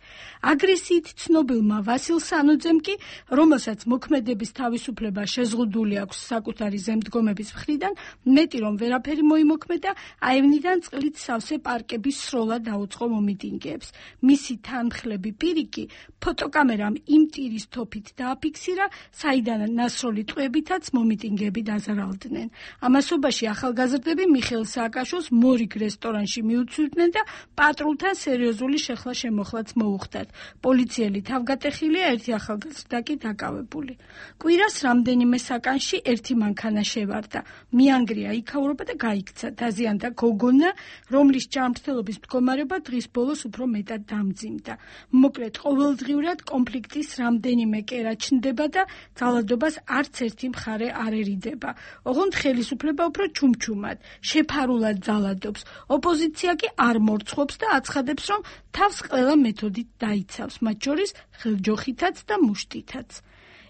აგრესიით ცნობილმა ვასილ სანოძემ კი, რომელსაც მოქმედების თავისუფლება შეზღუდული აქვს საკუთარი ზემდგომების მხრიდან, მეტი რომ ვერაფერი მოიმოქმედა, აევნიდან წყლით სავსე პარკების სროლა დაუწყო მომიტინგეებს. მისი თანმხლები პირი კი ფოტოკამერამ იმ ტირის თოფით დააფიქსირა, საიდან ნასროლი ტყვეებითაც მომიტინგეები დაზარალდნენ. ამასობაში ახალგაზრდები მიხეილ სააკაშვილს მორიგ რესტორანში მიუწვდნენ და პატრულთან სერიოზული შეხლა-შემოხლაც მოუხდათ. პოლიციელი თავგატეხილია, ერთი ახალგაზრდა კი დაკავებული. კვირას რამდენიმე საკანში ერთი მანქანა შევარდა. მიანგრია იქაურობა და გაიქცა. დაზიანდა გოგონა, რომლის ჯანმრთელობის მდგომარეობა დღის ბოლოს უფრო მეტად დამძიმდა. მოკლედ, ყოველდღიურად კონფლიქტის რამდენიმე კერა ჩნდება და ძალადობას არც ერთი მხარე არ ერიდება. ოღონდ ხელისუფლება უფრო ჩუმჩუმად, შეფარულად ძალადობს. ოპოზიცია კი არ მორცხობს და აცხადებს, რომ თავს ყველა მეთოდით დაიცავს, მათ შორის ხელჯოხითაც და მუშტითაც.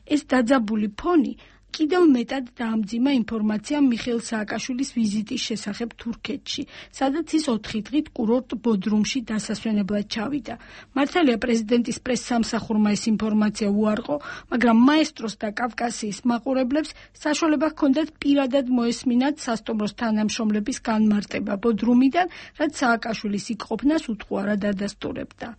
ეს დაძაბული ფონი კიდევ მეტად დაამძიმა ინფორმაცია მიხეილ სააკაშვილის ვიზიტის შესახებ თურქეთში, სადაც ის ოთხი დღით კურორტ ბოდრუმში დასასვენებლად ჩავიდა. მართალია პრეზიდენტის პრესსამსახურმა ეს ინფორმაცია უარყო, მაგრამ მაესტროს და კავკასიის მაყურებლებს საშუალება ჰქონდათ პირადად მოესმინათ სასტუმროს თანამშრომლების განმარტება ბოდრუმიდან, რაც სააკაშვილის იქ ყოფნას უთხოვარად ადასტურებდა.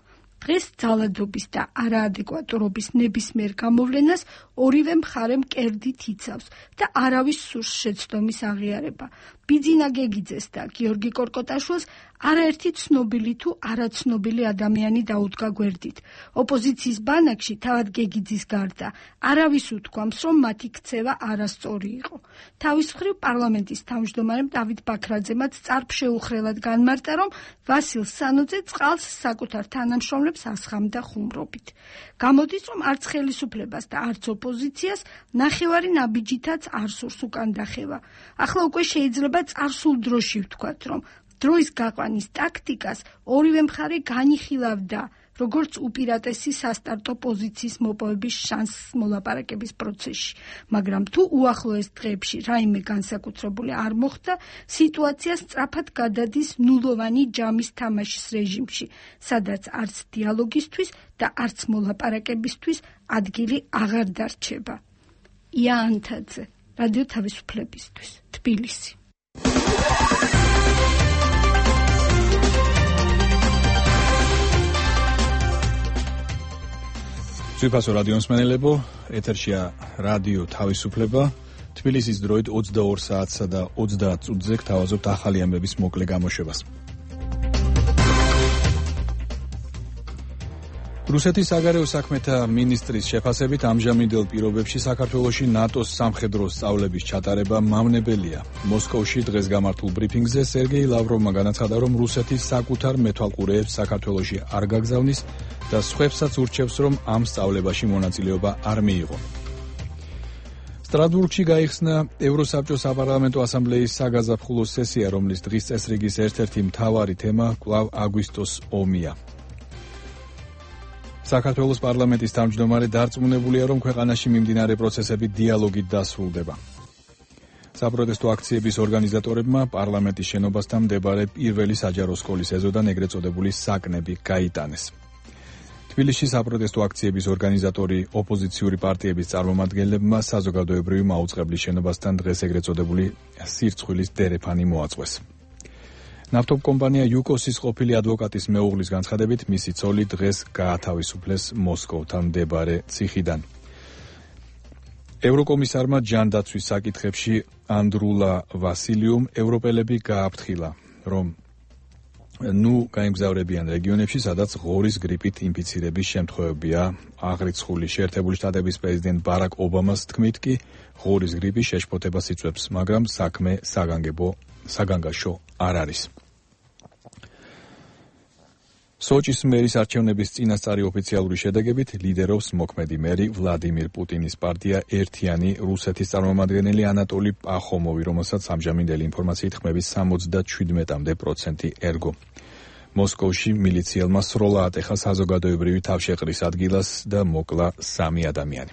დღეს ძალადობის და არაადეკვატურობის ნებისმიერ გამოვლენას ორივე მხარე მკერდით იცავს და არავის სურს შეცდომის აღიარება. ბიძინა გეგიძეს და გიორგი კორკოტაშვილს არაერთი ცნობილი თუ არაცნობილი ადამიანი დაუდგა გვერდით. ოპოზიციის ბანაკში თავად გეგიძის გარდა არავის უთქვამს, რომ მათი ქცევა არასწორი იყო. თავის მხრივ პარლამენტის თავმჯდომარემ დავით ბაქრაძემაც წარფშეუხრელად განმარტა, რომ ვასილ სანოძე წყალს საკუთარ თანამშრომლებს ასხამდა ხუმრობით. გამოდის, რომ არც ხელისუფლებას და არც ოპოზიციას ნახევარი ნაბიჯითაც არ სურს უკან დახევა. ახლა უკვე შეიძლება წარსულ დროში ვთქვათ, რომ დროის გაყვანის ტაქტიკას ორივე მხარე განიხილავდა, როგორც უპირატესი სასტარტო პოზიციის მოპოვების შანსს მოლაპარაკების პროცესში, მაგრამ თუ უახლოეს დღეებში რაიმე განსაკუთრებული არ მოხდა, სიტუაცია სწრაფად გადადის ნულოვანი ჯამის თამაშის რეჟიმში, სადაც არც დიალოგისთვის და არც მოლაპარაკებისთვის ადგილი აღარ დარჩება. ია ანთაძე, რადიო თავისუფლებისთვის, თბილისი. ძვირფასო რადიო მსმენელებო, ეთერშია რადიო თავისუფლება. თბილისის დროით ოცდაორ საათსა და ოცდაათ წუთზე გთავაზობთ ახალი ამბების მოკლე გამოშვებას. რუსეთის საგარეო საქმეთა მინისტრის შეფასებით ამჟამინდელ პირობებში საქართველოში ნატოს სამხედრო სწავლების ჩატარება მავნებელია. მოსკოვში დღეს გამართულ ბრიფინგზე სერგეი ლავროვმა განაცხადა, რომ რუსეთი საკუთარ მეთვალყურეებს საქართველოში არ გაგზავნის და სხვებსაც ურჩევს, რომ ამ სწავლებაში მონაწილეობა არ მიიღო. სტრასბურგში გაიხსნა ევროსაბჭოს საპარლამენტო ასამბლეის საგაზაფხულო სესია, რომლის დღის წესრიგის ერთ-ერთი მთავარი თემა კვლავ აგვისტოს ომია. საქართველოს პარლამენტის თავმჯდომარე დარწმუნებულია, რომ ქვეყანაში მიმდინარე პროცესები დიალოგით დასრულდება. საპროტესტო აქციების ორგანიზატორებმა პარლამენტის შენობასთან მდებარე პირველი საჯარო სკოლის ეზოდან ეგრეთ წოდებული საკნები გაიტანეს. თბილისში საპროტესტო აქციების ორგანიზატორი ოპოზიციური პარტიების წარმომადგენლებმა საზოგადოებრივი მაუწყებლის შენობასთან დღეს ეგრეთ წოდებული სირცხვილის დერეფანი მოაწყვეს. ნავთობ კომპანია იუკოსის ყოფილი ადვოკატის მეუღლის განცხადებით, მისი ცოლი დღეს გაათავისუფლეს მოსკოვთან მდებარე ციხიდან. ევროკომისარმა ჯანდაცვის საკითხებში ანდრულა ვასილიუმ ევროპელები გააფრთხილა, რომ ნუ გაემგზავრებიან რეგიონებში, სადაც ღორის გრიპით ინფიცირების შემთხვევებია აღრიცხული. შეერთებული შტატების პრეზიდენტ ბარაკ ობამას თქმით კი ღორის გრიპი შეშფოთებას იწვევს, მაგრამ საქმე საგანგებო საგანგაშო არ არის. სოჭის მერის არჩევნების წინასწარი ოფიციალური შედეგებით ლიდერობს მოქმედი მერი ვლადიმირ პუტინის პარტია ერთიანი რუსეთის წარმომადგენელი ანატოლი პახომოვი, რომელსაც ამჟამინდელი ინფორმაციით ხმების სამოცდაჩვიდმეტამდე პროცენტი ერგო. მოსკოვში მილიციელმა სროლა ატეხა საზოგადოებრივი თავშეყრის ადგილას და მოკლა სამი ადამიანი.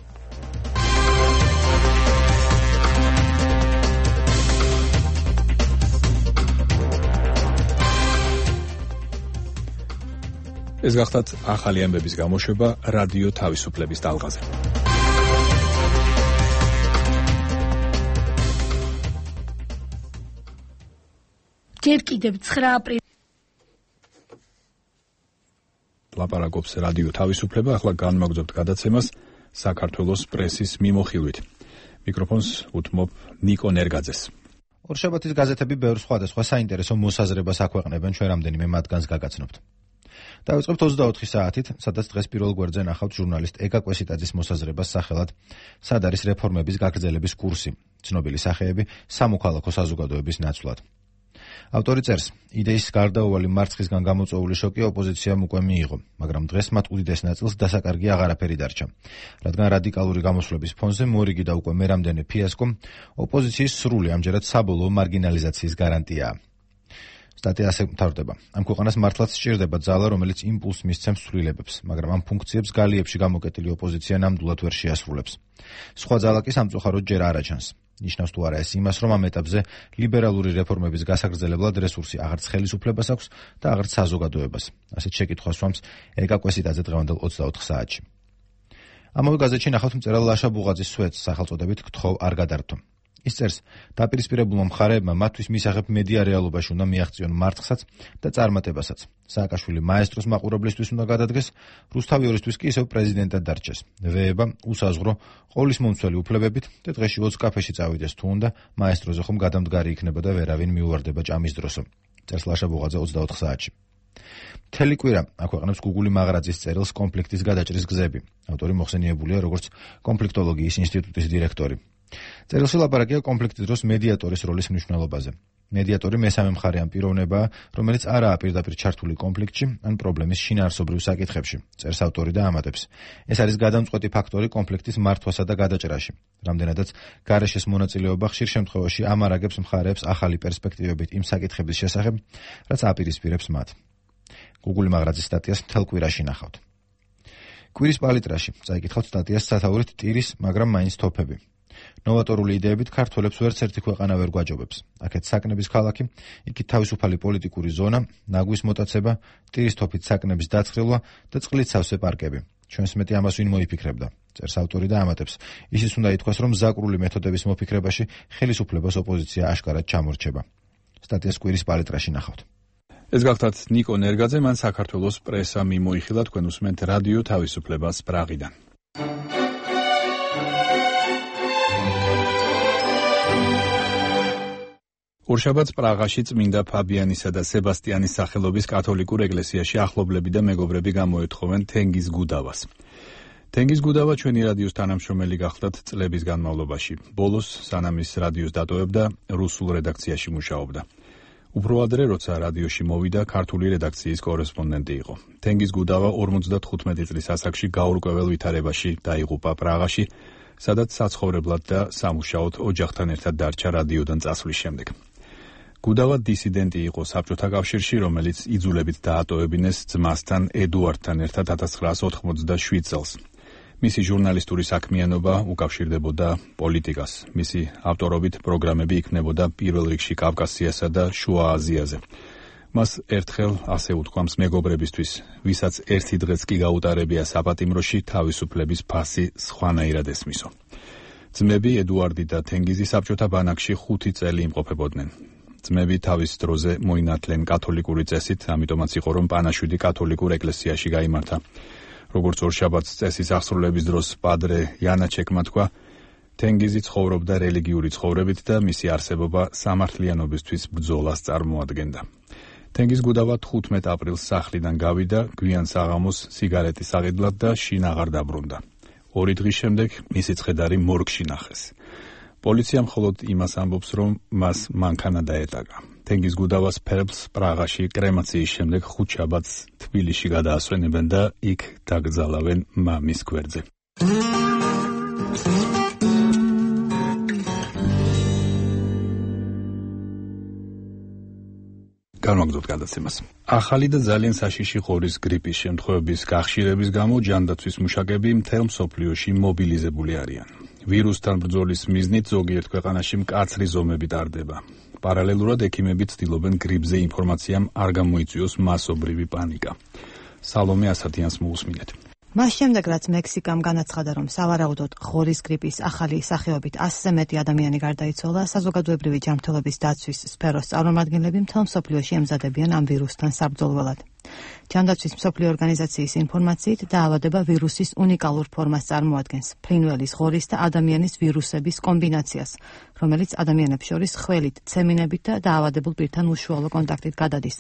ეს გახდათ ახალი ამბების გამოშვება რადიო თავისუფლების ტალღაზე. ჯერ კიდევ ცხრა აპრილი ლაპარაკობს რადიო თავისუფლება, ახლა განმაგზავნებთ გადაცემას საქართველოს პრესის მიმოხილვით. მიკროფონს უთმობ ნიკო ნერგაძეს. ორშაბათის გაზეთები ბევრ სხვადასხვა საინტერესო მოსაზრებას აქვეყნებენ, ჩვენ რამდენიმე მათგანს გაგაცნობთ. დავიწყებთ ოცდაოთხი საათით, სადაც დღეს პირველ გვერდზე ნახავთ ჟურნალისტ ეკა კვესიტაძის მოსაზრებას სახელად სად არის რეფორმების გაგრძელების კურსი, ცნობილი სახეები სამოქალაქო საზოგადოების ნაცვლად. ავტორი წერს, იდეის გარდაუვალი მარცხისგან გამოწვეული შოკი ოპოზიციამ უკვე მიიღო, მაგრამ დღეს მათ უდიდეს ნაწილს დასაკარგი აღარაფერი დარჩა, რადგან რადიკალური გამოსვლების ფონზე მორიგი და უკვე მერამდენე ფიასკო ოპოზიციის სრული, ამჯერად საბოლოო მარგინალიზაციის გარანტიაა. სტატია ასე მთავრდება. ამ ქვეყანას მართლაც სჭირდება ძალა, რომელიც იმპულსს მისცემს ცვლილებებს, მაგრამ ამ ფუნქციებს გალიებში გამოკეტილი ოპოზიცია ნამდვილად ვერ შეასრულებს. სხვა ძალა კი სამწუხაროდ ჯერ არ აჩანს. ნიშნავს თუ არა ეს იმას, რომ ამ ეტაპზე ლიბერალური რეფორმების გასაგრძელებლად რესურსი აღარც ხელისუფლებას აქვს და აღარც საზოგადოებას. ასეთ შეკითხვას სვამს ეკა კვესიტაძე დღევანდელ ოცდაოთხ საათში. ამავე გაზეთში ნახავთ მწერალ ლაშა ბუღაძის სვეტს სახელწოდებით გთხოვ არ გადართო. ის წერს, დაპირისპირებულმა მხარეებმა მათთვის მისაღებ მედია რეალობაში უნდა მიაღწიონ მარცხსაც და წარმატებასაც. სააკაშვილი მაესტროს მაყურებლისთვის უნდა გადადგეს, რუსთავი ორისთვის კი ისევ პრეზიდენტად დარჩეს. ვეება უსაზღრო ყოვლის მომცველი უფლებებით და დღეში ოცი კაფეში წავიდეს თუ უნდა, მაესტროზე ხომ გადამდგარი იქნება და ვერავინ მიუვარდება ჭამის დროსო. წერს ლაშა ბუღაძე ოცდაოთხ საათში. მთელი კვირა აქვეყნებს გუგული მაღრაძის წერილს კონფლიქტის გადაჭრის გზები. ავტორი მოხსენიებულია როგორც კონფლიქტოლოგიის ინსტიტუტის დირექტორი. წერილში ლაპარაკია კონფლიქტის დროს მედიატორის როლის მნიშვნელობაზე. მედიატორი მესამე მხარე ამ პიროვნებაა, რომელიც არაა პირდაპირ ჩართული კონფლიქტში ან პრობლემის შინაარსობრივ საკითხებში. წერს ავტორი და ამატებს. ეს არის გადამწყვეტი ფაქტორი კონფლიქტის მართვასა და გადაჭრაში. რამდენადაც გარეშეს მონაწილეობა ხშირ შემთხვევაში ამარაგებს მხარეებს ახალი პერსპექტივებით იმ საკითხების შესახებ, რაც აპირისპირებს მათ. გუგული მაღრაძის სტატიას მთელ კვირაში ნახავთ. კვირის პალიტრაში წაიკითხავთ სტატიას სათაურით ტირის, მაგრამ მაინც თოფები. ნოვატორული იდეებით ქართველებს ვერც ერთი ქვეყანა ვერ გვაჯობებს. აქეთ საკნების ქალაქი, იქით თავისუფალი პოლიტიკური ზონა, ნაგვის მოტაცება, ტირის თოფით საკნების დაცხრილვა და წყლით სავსე პარკები. ჩვენს მეტი ამას ვინ მოიფიქრებდა? წერს ავტორი და ამატებს. ისიც უნდა ითქვას, რომ ზაკრული მეთოდების მოფიქრებაში ხელისუფლებას ოპოზიცია აშკარად ჩამორჩება. სტატიას კვირის პალიტრაში ნახავთ. ეს გახლავთ ნიკო ნერგაძე, მან საქართველოს პრესა მიმოიხილა, თქვენ უსმენთ რადიო თავისუფლებას პრაღიდან. ორშაბათს პრაღაში წმინდა ფაბიანისა და სებასტიანის სახელობის კათოლიკურ ეკლესიაში ახლობლები და მეგობრები გამოეთხოვენ თენგიზ გუდავას. თენგიზ გუდავა ჩვენი რადიოს თანამშრომელი გახლდათ წლების განმავლობაში. ბოლოს სანამ ის რადიოს დატოვებდა, რუსულ რედაქციაში მუშაობდა. უფრო ადრე, როცა რადიოში მოვიდა, ქართული რედაქციის კორესპონდენტი იყო. თენგიზ გუდავა ორმოცდათხუთმეტი წლის ასაკში გაურკვეველ ვითარებაში დაიღუპა პრაღაში, სადაც საცხოვრებლად და სამუშაოდ ოჯახთან ერთად დარჩა რადიოდან წასვლის შემდეგ. გუდავა დისიდენტი იყო საბჭოთა კავშირში, რომელიც იძულებით დაატოვებინეს ძმასთან ედუარდთან ერთად ათას ცხრაას ოთხმოცდაშვიდ წელს. მისი ჟურნალისტური საქმიანობა უკავშირდებოდა პოლიტიკას. მისი ავტორობით პროგრამები იქმნებოდა პირველ რიგში კავკასიასა და შუა აზიაზე. მას ერთხელ ასე უთქვამს მეგობრებისთვის, ვისაც ერთი დღეც კი გაუტარებია საპატიმროში, თავისუფლების ფასი სხვანაირად ესმისო. ძმები ედუარდი და თენგიზი საბჭოთა ბანაკში ხუთი წელი იმყოფებოდნენ. ძმები თავის დროზე მოინათლენ კათოლიკური წესით, ამიტომაც იყო, რომ პანაშვიდი კათოლიკურ ეკლესიაში გაიმართა. როგორც ორშაბათს წესის აღსრულების დროს პადრე იანაჩეკმა თქვა, თენგიზი ცხოვრობდა რელიგიური ცხოვრებით და მისი არსებობა სამართლიანობისთვის ბრძოლას წარმოადგენდა. თენგიზ გუდავა თხუთმეტ აპრილს სახლიდან გავიდა, გვიან საღამოს სიგარეტის აღიდლად და შინ აღარ დაბრუნდა. ორი დღის შემდეგ მისი ცხედარი მორგში ნახეს. პოლიცია მხოლოდ იმას ამბობს, რომ მას მანქანა დაეტაკა. თენგიზ გუდავას ფერბლს პრაღაში კრემაციის შემდეგ ხუთშაბათს თბილისში გადაასვენებენ და იქ დაკრძალავენ მამის გვერდზე. განვაგრძობთ გადაცემას. ახალი და ძალიან საშიში ღორის გრიპის შემთხვევების გახშირების გამო ჯანდაცვის მუშაკები მთელ მსოფლიოში მობილიზებული არიან. ვირუსთან ბრძოლის მიზნით ზოგიერთ ქვეყანაში მკაცრი ზომები ტარდება. პარალელურად ექიმები ცდილობენ გრიპზე ინფორმაციამ არ გამოიწვიოს მასობრივი პანიკა. სალომე ასათიანს მოусმინეთ. მას შემდეგ, რაც მექსიკამ განაცხადა, რომ სავარაუდოდ ღორის გრიპის ახალი სახეობით ასზე მეტი ადამიანი გარდაიცვალა, საზოგადოებრივი ჯანმრთელობის დაცვის სფეროს წარმომადგენლები მთელ მსოფლიოში ემზადებიან ამ ვირუსთან საბრძოლველად. ჯანდაცვის მსოფლიო ორგანიზაციის ინფორმაციით, დაავადება ვირუსის უნიკალურ ფორმას წარმოადგენს, ფრინველის, ღორის და ადამიანის ვირუსების კომბინაციას, რომელიც ადამიანებს შორის ხველით, ცემინებით და დაავადებულ პირთან უშუალო კონტაქტით გადადის.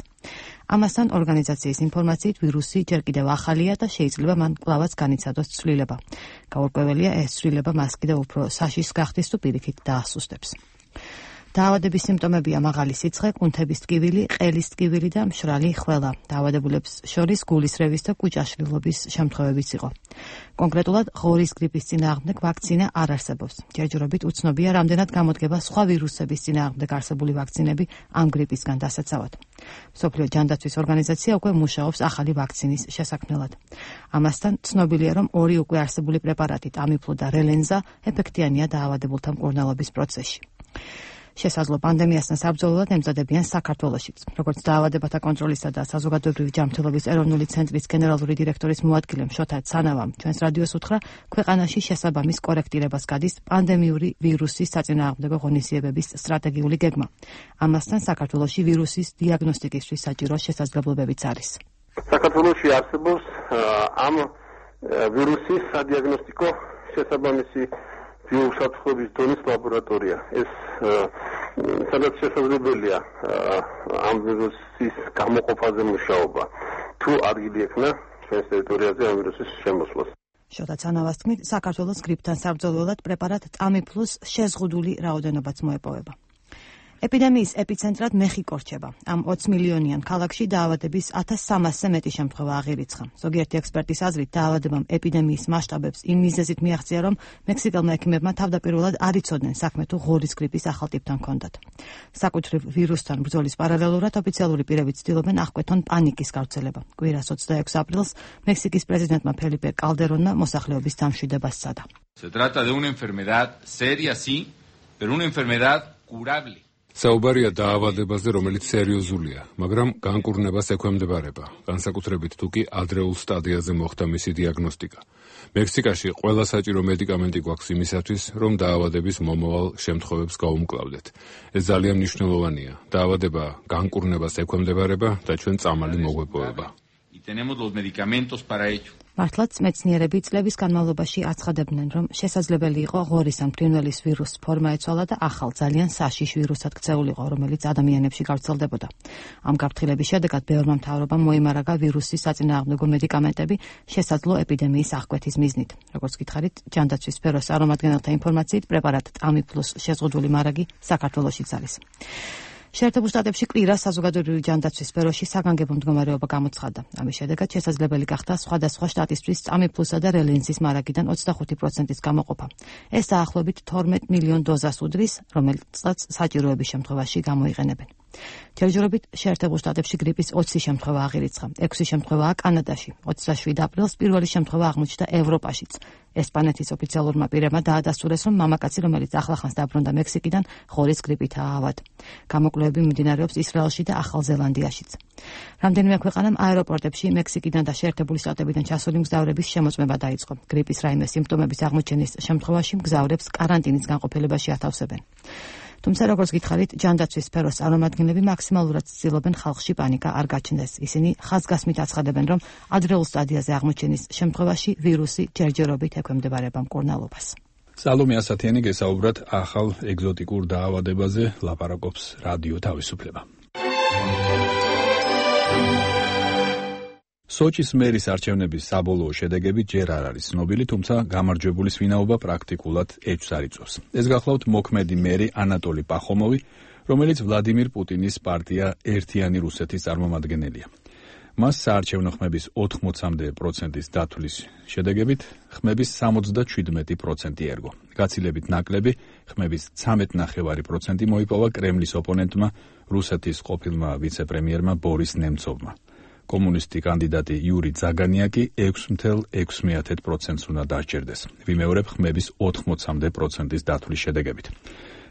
ამასთან ორგანიზაციის ინფორმაციით, ვირუსი ჯერ კიდევ ახალია და შეიძლება მან კვლავაც განიცადოს ცვლილება. გაურკვეველია, ეს ცვლილება მას კიდევ უფრო საშიშს გახდის თუ პირიქით დაასუსტებს. დაავადების სიმპტომებია მაღალი სიცხე, კუნთების ტკივილი, ყელის ტკივილი და მშრალი ხველა. დაავადებულებს შორის გულისრევის და კუჭაშლილობის შემთხვევებიც იყო. კონკრეტულად ღორის გრიპის წინააღმდეგ ვაქცინა არ არსებობს. ჯერჯერობით უცნობია, რამდენად გამოდგება სხვა ვირუსების წინააღმდეგ არსებული ვაქცინები ამ გრიპისგან დასაცავად. მსოფლიო ჯანდაცვის ორგანიზაცია უკვე მუშაობს ახალი ვაქცინის შესაქმნელად. ამასთან ცნობილია, რომ ორი უკვე არსებული პრეპარატი, ტამიფლუ და რელენზა, ეფექტიანია დაავადებულთა მკურნალობის პროცესში. შესაძლო პანდემიასთან საბრძოლველად ემზადებიან საქართველოშიც. როგორც დაავადებათა კონტროლისა და საზოგადოებრივი ჯანმრთელობის ეროვნული ცენტრის გენერალური დირექტორის მოადგილე შოთა ცანავამ ჩვენს რადიოს უთხრა, ქვეყანაში შესაბამის კორექტირებას გადის პანდემიური ვირუსის საწინააღმდეგო ღონისძიებების სტრატეგიული გეგმა. ამასთან საქართველოში ვირუსის დიაგნოსტიკისთვის საჭირო შესაძლებლობებიც არის. საქართველოში არსებობს ამ ვირუსის სადიაგნოსტიკო შესაბამისი ბიოუსაფრთხოების დონის ლაბორატორია. ეს სადაც შესაძლებელია ამ ვირუსის გამოყოფაზე მუშაობა. თუ ადგილი ექნა ჩვენს ტერიტორიაზე ამ ვირუსის შემოსვლას. შოთა ცანავას თქმით, საქართველოს გრიპთან საბრძოლველად პრეპარატ ტამიფლუს შეზღუდული რაოდენობაც მოეპოვება. ეპიდემიის ეპიცენტრად მეხიკო რჩება. ამ ოცი მილიონიან ქალაქში დაავადების ათას სამასზე მეტი შემთხვევა აღირიცხა. ზოგიერთი ექსპერტის აზრით, დაავადებამ ეპიდემიის მასშტაბებს იმ მიზეზით მიაღწია, რომ მექსიკელმა ექიმებმა თავდაპირველად არ იცოდნენ საქმე თუ ღორის გრიპის ახალ ტიპთან ჰქონდათ. საკუთრივ ვირუსთან ბრძოლის პარალელურად ოფიციალური პირები ცდილობენ აღკვეთონ პანიკის გავრცელება. კვირას ოცდაექვსი აპრილს მექსიკის პრეზიდენტმა ფელიპე კალდერონმა მოსახლეობის დამშვიდებას სცადა. Se trata de una enfermedad seria, sí, pero una enfermedad curable. საუბარია დაავადებაზე, რომელიც სერიოზულია, მაგრამ განკურნებას ექვემდებარება, განსაკუთრებით თუ კი ადრეულ სტადიაზე მოხდა მისი დიაგნოსტიკა. მექსიკაში ყველა საჭირო მედიკამენტი გვაქვს იმისათვის, რომ დაავადების მომავალ შემთხვევებს გაუმკლავდეთ. ეს ძალიან მნიშვნელოვანია. დაავადება განკურნებას ექვემდებარება და ჩვენ წამალი მოგვეპოვება. მართლაც მეცნიერები წლების განმავლობაში აცხადებდნენ, რომ შესაძლებელი იყო ღორის ან ფრინველის ვირუსის ფორმა ეცვალა და ახალ ძალიან საშიშ ვირუსად ქცეულიყო, რომელიც ადამიანებში გავრცელდებოდა. ამ გაფრთხილების შედეგად ბევრმა მთავრობამ მოიმარაგა ვირუსის საწინააღმდეგო მედიკამენტები შესაძლო ეპიდემიის აღკვეთის მიზნით. როგორც გითხარით, ჯანდაცვის სფეროს წარმომადგენელთა ინფორმაციით, პრეპარატ ტამიფლუს შეზღუდული მარაგი საქართველოშიც არის. შეერთებულ შტატებში კვირას საზოგადოებრივი ჯანდაცვის სფეროში საგანგებო მდგომარეობა გამოცხადდა. ამის შედეგად შესაძლებელი გახდა სხვადასხვა შტატისთვის ტამიფლუსა და რელენსის მარაგიდან ოცდახუთი პროცენტის გამოყოფა. ეს დაახლოებით თორმეტ მილიონ დოზას უდრის, რომელსაც საჭიროების შემთხვევაში გამოიყენებენ. თერჯერობით შეერთებულ შტატებში გრიპის ოცი შემთხვევა აღირიცხა. ექვსი შემთხვევაა კანადაში. ოცდაშვიდი აპრილს პირველი შემთხვევა აღმოჩნდა ევროპაშიც. ესპანეთის ოფიციალურმა პირებმა დაადასტურეს, რომ მამაკაცი, რომელიც ახლახანს დაბრუნდა მექსიკიდან, ღორის გრიპითაა ავად. გამოკვლევები მიმდინარეობს ისრაელში და ახალ ზელანდიაშიც. რამდენიმე ქვეყანამ აეროპორტებში მექსიკიდან და შეერთებული შტატებიდან ჩასული მგზავრების შემოწმება დაიწყო. გრიპის რაიმე სიმპტომების აღმოჩენის შემთხვევაში მგზავრებს კარანტინის განყოფილებაში ათავსებენ. თუმცა, როგორც გითხარით, ჯანდაცვის სფეროს წარმომადგენლები მაქსიმალურად ცდილობენ ხალხში პანიკა არ გაჩნდეს. ისინი ხაზგასმით აცხადებენ, რომ ადრეულ სტადიაზე აღმოჩენის შემთხვევაში ვირუსი ჯერჯერობით ექვემდებარება მკურნალობას. სალომე ასათიანი გესაუბრათ ახალ ეგზოტიკურ დაავადებაზე ლაპარაკობს რადიო თავისუფლება. სოჭის მერის არჩევნების საბოლოო შედეგები ჯერ არ არის ცნობილი, თუმცა გამარჯვებულის ვინაობა პრაქტიკულად ეჭვს არ იწვევს. ეს გახლავთ მოქმედი მერი ანატოლი პახომოვი, რომელიც ვლადიმირ პუტინის პარტია ერთიანი რუსეთის წარმომადგენელია. მას საარჩევნო ხმების ოთხმოცამდე პროცენტის დათვლის შედეგებით ხმების სამოცდაშვიდმეტი პროცენტი ერგო. გაცილებით ნაკლები ხმების ცამეტ ნახევარი პროცენტი მოიპოვა კრემლის ოპონენტმა, რუსეთის ყოფილმა ვიცე-პრემიერმა ბორის ნემცოვმა. კომუნისტი კანდიდატი იური ზაგანიაკი ექვსი ათეული ექვსი პროცენტს უნდა დასჯერდეს. ვიმეორებ ხმების ოთხმოცამდე პროცენტის დათვლის შედეგებით.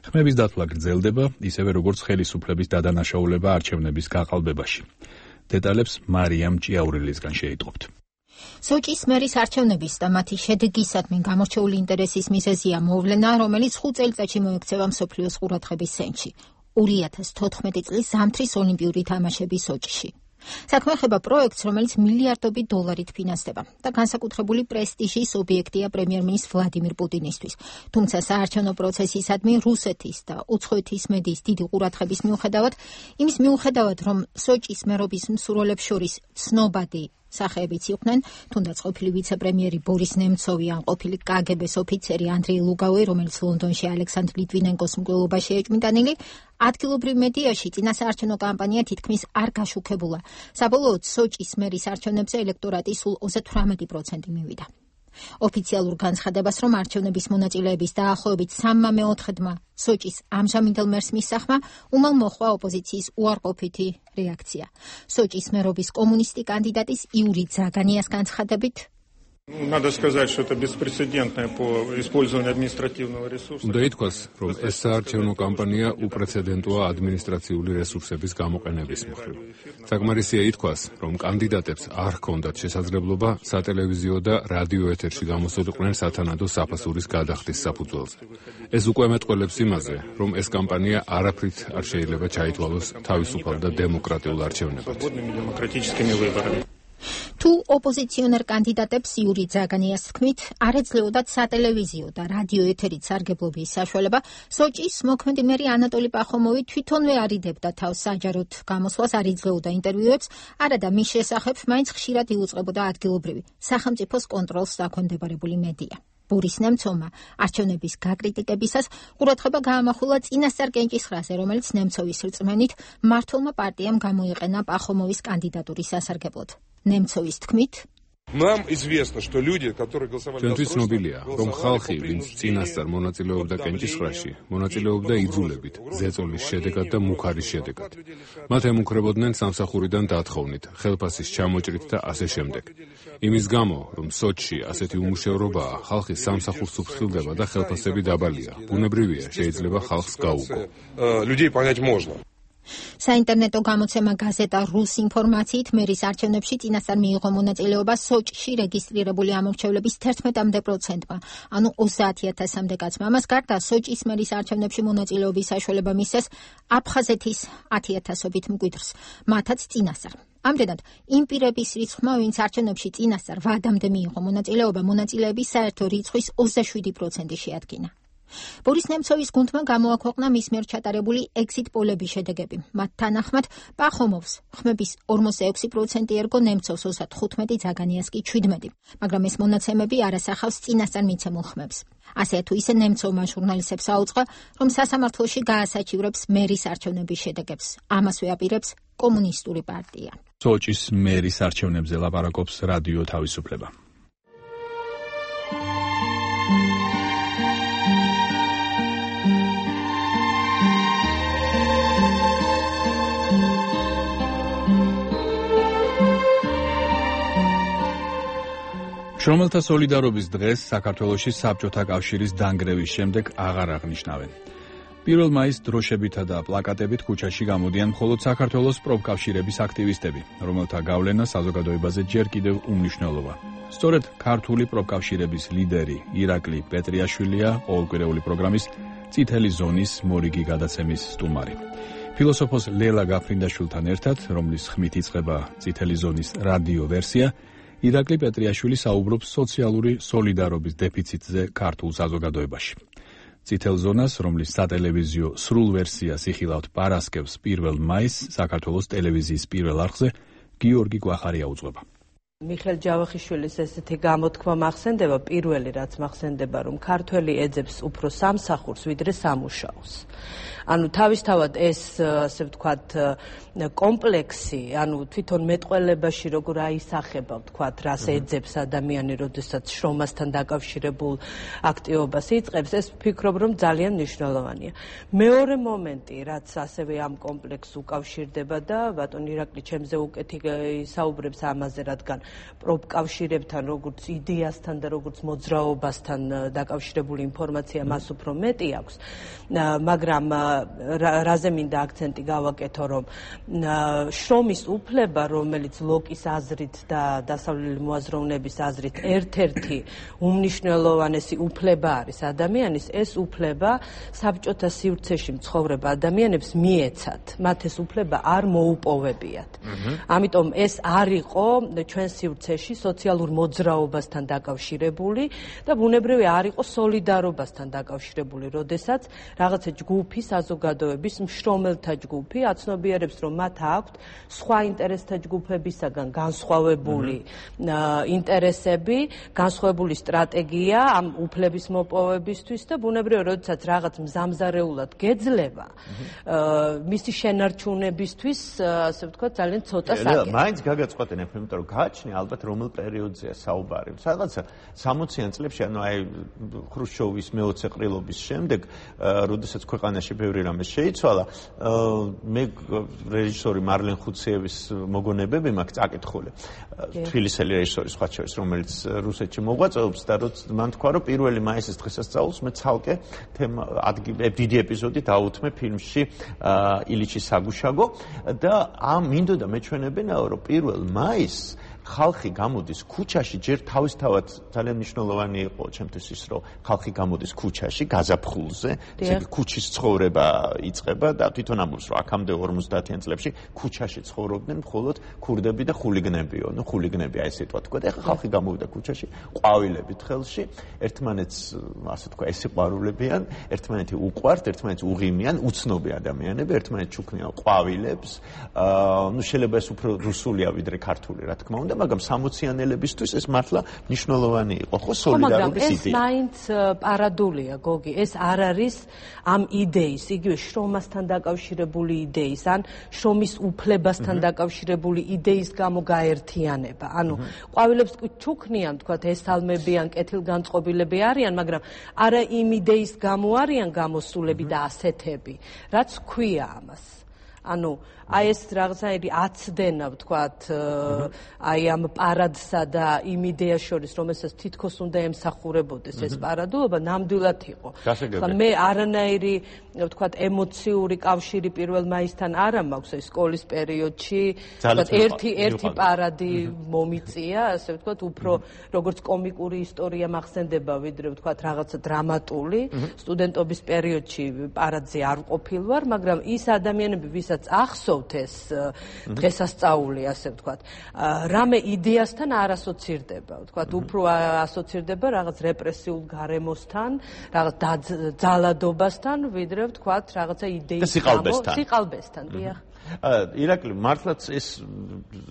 ხმების დათვლა გრძელდება, ისევე როგორც ხელისუფლების დადანაშაულება არჩევნების გაყალბებაში. დეტალებს მარიამ ჭიაურელისგან შეიტყობთ. სოჭის მერის არჩევნების და მათი შედეგისადმი გამორჩეული ინტერესის მიზეზია მოვლენა, რომელიც ხუთ წელიწადში მოექცევა მსოფლიოს ყურადღების ცენტრში. ორი ათას თოთხმეტი წლის ზამთრის ოლიმპიური თამაშები სოჭში. საქმე ხება პროექტს, რომელიც მილიარდობით დოლარით ფინანსდება და განსაკუთრებული პრესტიჟის ობიექტია პრემიერ-მინისტრ ვლადიმირ პუტინისთვის. თუმცა საარჩევნო პროცესისადმი რუსეთის და უცხოეთის მედიის დიდი ყურადღების მიუხედავად, იმის მიუხედავად, რომ სოჭის მერობის მსურველებს შორის ცნობადი სახეებიც იყვნენ, თუნდაც ყოფილი ვიცე-პრემიერი ბორის ნემცოვი ან ყოფილი კაგებეს ოფიცერი ანდრეი ლუგავი, რომელიც ლონდონში ალექსანდრ ლიტვინენკოს მკვლელობაში ეჭვმიტანილი, ადგილობრივ მედიაში წინასაარჩევნო კამპანია თითქმის არ გაშუქებულა. საბოლოოდ სოჭის მერის არჩევნებზე ელექტორატი სულ ოცდათვრამეტი პროცენტი მივიდა. ოფიციალურ განცხადებას, რომ არჩევნების მონაწილეების დაახლოებით სამმა მეოთხედმა სოჭის ამჟამინდელ მერს მისახმა, უმალ მოხვა ოპოზიციის უარყოფითი რეაქცია. სოჭის მერობის კომუნისტი კანდიდატის იური ზაგანიას განცხადებით, Надо сказать, что это беспрецедентное по использованию административного ресурса. უნდა ითქვას, რომ ეს საარჩევნო კამპანია უპრეცედენტოა ადმინისტრაციული რესურსების გამოყენების მხრივ. საკმარისია ითქვას, რომ კანდიდატებს არ ჰქონდათ შესაძლებლობა სატელევიზიო და რადიო ეთერში გამოსულიყვნენ სათანადო საფასურის გადახდის საფუძველზე. ეს უკვე მეტყველებს იმაზე, რომ ეს კამპანია არაფრით არ შეიძლება ჩაითვალოს თავისუფალ და დემოკრატიულ არჩევნებად. თუ ოპოზიციონერ კანდიდატებს იური ძაგანიას თქმით, არ ეძლეოდათ სატელევიზიო და რადიო ეთერით სარგებლობის საშუალება, სოჭის მოქმედი მერი ანატოლი პახომოვი თვითონვე არიდებდა თავს საჯაროდ გამოსვლას, არ იძლეოდა ინტერვიუებს, არადა მის შესახებ მაინც ხშირად იუწყებოდა ადგილობრივი სახელმწიფოს კონტროლს დაქვემდებარებული მედია. ბურის ნემცოვმა არჩევნების გაკრიტიკებისას ყურადღება გაამახვილა წინასწარ კენჭისყრაზე, რომელიც ნემცოვის რწმენით მმართველმა პარტიამ გამოიყენა პახომოვის კანდიდატურის სასარგებლოდ. ნემცოვის თქმით, Нам известно, что люди, которые голосовали за ჩვენთვის ცნობილია, რომ ხალხი, ვინც წინასწარ მონაწილეობდა კენჭისყრაში, მონაწილეობდა იძულებით, ზეწოლის შედეგად და მუქარის შედეგად. მათ ემუქრებოდნენ სამსახურიდან დათხოვნით, ხელფასის ჩამოჭრით და ასე შემდეგ. იმის გამო, რომ სოჭში ასეთი უმუშევრობაა, ხალხი სამსახურს უფრთხილდება და ხელფასები დაბალია. ბუნებრივია, შეიძლება ხალხს გაუგო. людей понять можно. საინტერნეტო გამოცემა გაზეტა რუს ინფორმაციით მერის არჩევნებში წინასწარ მიიღო მონაწილეობა სოჭში რეგისტრირებული ამორჩევლების თერთმეტ პროცენტმა, ანუ ოცდაათი ათასამდე კაცმა. ამას გარდა სოჭის მერის არჩევნებში მონაწილეობის საშუალება მისცეს აფხაზეთის ათი ათასობით მკვიდრს, მათაც წინასწარ. ამდენად, იმ პირების რიცხვმა, ვინც არჩევნებში წინასწარ ვადამდე მიიღო მონაწილეობა, მონაწილეების საერთო რიცხვის ოცდაშვიდი პროცენტი შეადგინა. ბორის ნემცოვის გუნდმა გამოაქვეყნა მის მიერ ჩატარებული exit პოლების შედეგები. მათ თანახმად, პახომოვს ხმების ორმოცდაექვსი პროცენტი ერგო, ნემცოვს ოცდათხუთმეტი, ძაგანიას კი შვიდმეტი, მაგრამ ეს მონაცემები არ ასახავს წინასწარ მიცემულ ხმებს. ასე თუ ისე ნემცოვმა ჟურნალისტებს აუწყა, რომ სასამართლოში გაასაჩივრებს მერის არჩევნების შედეგებს. ამასვე აპირებს კომუნისტური პარტია. სოჭის მერის არჩევნებზე ლაპარაკობს რადიო თავისუფლება. შრომელთა სოლიდარობის დღეს საქართველოში საბჭოთა კავშირის დანგრევის შემდეგ აღარ აღნიშნავენ. პირველ მაისს დროშებითა და პლაკატებით ქუჩაში გამოდიან მხოლოდ საქართველოს პროფკავშირების აქტივისტები, რომელთა გავლენა საზოგადოებაზე ჯერ კიდევ უმნიშვნელოა. სწორედ ქართული პროფკავშირების ლიდერი ირაკლი პეტრიაშვილია ყოველკვირეული პროგრამის წითელი ზონის მორიგი გადაცემის სტუმარი. ფილოსოფოს ლელა გაფრინდაშვილთან ერთად, რომლის ხმით იწყება წითელი ზონის რადიო ვერსია, ირაკლი პეტრიაშვილი საუბრობს სოციალური სოლიდარობის დეფიციტზე ქართულ საზოგადოებაში. წითელ ზონას, რომლის სატელევიზიო სრულ ვერსიას იხილავთ პარასკევს პირველ მაისს, საქართველოს ტელევიზიის პირველ არხზე გიორგი კვახარი აუწყება. მიხელ ჯავახიშვილის ესეთი გამოთქმა მახსენდება, პირველი რაც მახსენდება, რომ ქართველი ეძებს უფრო სამსახურს, ვიდრე სამუშაოს. ანუ თავისთავად ეს, ასე ვთქვათ, კომპლექსი, ანუ თვითონ მეტყველებაში როგორ აისახება, ვთქვათ, რას ეძებს ადამიანი, როდესაც შრომასთან დაკავშირებულ აქტივობას იწყებს, ეს ვფიქრობ, რომ ძალიან მნიშვნელოვანია. მეორე მომენტი, რაც ასევე ამ კომპლექსს უკავშირდება და ბატონ ირაკლი ჩემზე უკეთ საუბრებს ამაზე, რადგან პროფკავშირებთან, როგორც იდეასთან და როგორც მოძრაობასთან დაკავშირებული ინფორმაცია მას უფრო მეტი აქვს, მაგრამ რაზე მინდა აქცენტი გავაკეთო, რომ შრომის უფლება, რომელიც ლოკის აზრით და დასავლელი მოაზროვნების აზრით ერთ-ერთი უმნიშვნელოვანესი უფლება არის ადამიანის, ეს უფლება საბჭოთა სივრცეში მცხოვრებ ადამიანებს მიეცათ. მათ ეს უფლება არ მოუპოვებიათ. ამიტომ ეს არ იყო ჩვენ სივრცეში სოციალურ მოძრაობასთან დაკავშირებული და ბუნებრივი არ იყო სოლიდარობასთან დაკავშირებული, როდესაც რაღაცა ჯგუფი, საზოგადოების მშრომელთა ჯგუფი აცნობიერებს, რომ მათ აქვთ სხვა ინტერესთა ჯგუფებისაგან განსხვავებული ინტერესები, განსხვავებული სტრატეგია ამ უფლების მოპოვებისთვის და ბუნებრივია, როდესაც რაღაც მზამზარეულად გეძლება, მისი შენარჩუნებისთვის, ასე ვთქვათ, ძალიან ცოტა საკითხია. მაინც გაგაწყვეტენ, იმიტომ რომ გააჩნია გააჩნია ალბათ რომელ პერიოდზეა საუბარი. სადღაცა სამოციან წლებში, ანუ აი ხრუშჩოვის მეოცე ყრილობის შემდეგ, როდესაც ქვეყანაში ბევრი რამე შეიცვალა, მე რეჟისორი მარლენ ხუციევის მოგონებები მაქვს წაკითხული. თბილისელი რეჟისორი სხვა შორის, რომელიც რუსეთში მოღვაწეობს და როცა მან თქვა, რომ პირველი მაისის დღესასწაულს მე ცალკე თემა დიდი ეპიზოდი დაუთმე ფილმში ილიჩის საგუშაგო და ამ მინდოდა მეჩვენებინაო, რომ პირველ მაისს ხალხი გამოდის ქუჩაში, ჯერ თავისთავად ძალიან მნიშვნელოვანი იყო ჩემთვის ის, რომ ხალხი გამოდის ქუჩაში, გაზაფხულზე, ესე იგი ქუჩის ცხოვრება იწყება და თვითონ ამბობს, რომ აქამდე ორმოცდაათიან წლებში ქუჩაში ცხოვრობდნენ მხოლოდ ქურდები და ხულიგნებიო, ну ხულიგნები აი ესე თქვა და ეხლა ხალხი გამოვიდა ქუჩაში, ყვავილებით ხელში, ერთმანეთს ასე თქვა ესიყვარულებიან, ერთმანეთი უყვართ, ერთმანეთს უღიმიან, უცნობი ადამიანები, ერთმანეთს ჩუქნიან ყვავილებს, აა ну შეიძლება ეს უფრო რუსულია ვიდრე ქართული, რა თქმა უნდა, მაგრამ სამოციანელებისთვის ეს მართლა მნიშვნელოვანი იყო, ხო, სოლიდარობის იდეა. ეს მაინც პარადულია, გოგი, ეს არ არის ამ იდეის, იგივე შრომასთან დაკავშირებული იდეის, ან შრომის უფლებასთან დაკავშირებული იდეის გამო გაერთიანება. ანუ ყვავილებს ჩუქნიან, თქვათ, ესალმები ან კეთილგანწყობილები არიან, მაგრამ არა იმ იდეის გამო არიან გამოსულები და ასეთები, რაც ქვია ამას. ანუ აი ეს რაღაცაები აცდენა, ვთქვათ, აი ამ პარადსა და იმ იდეას შორის, რომელსაც თითქოს უნდა ემსახურებოდეს ეს პარადულობა, ნამდვილად იყო. ხა მე არანაირი, ვთქვათ, ემოციური კავშირი პირველ მაისთან არ მაქვს ეს სკოლის პერიოდში, ვთქვათ, ერთი ერთი პარადი მომიწია, ასე ვთქვათ, უფრო როგორც კომიკური ისტორია მახსენდება, ვიდრე ვთქვათ, რაღაცა დრამატული. სტუდენტობის პერიოდში პარადზე არ ყოფილ ვარ, მაგრამ ის ადამიანები, ვისაც ახსოვს ეს დღესასწაული, ასე ვთქვათ, რამე იდეასთან არ ასოცირდება, ვთქვათ, უფრო ასოცირდება რაღაც რეპრესიულ გარემოსთან, რაღაც ძალადობასთან, ვიდრე ვთქვათ, რაღაცა იდეის გამო, სიყალბესთან, დიახ. ირაკლი, მართლაც ეს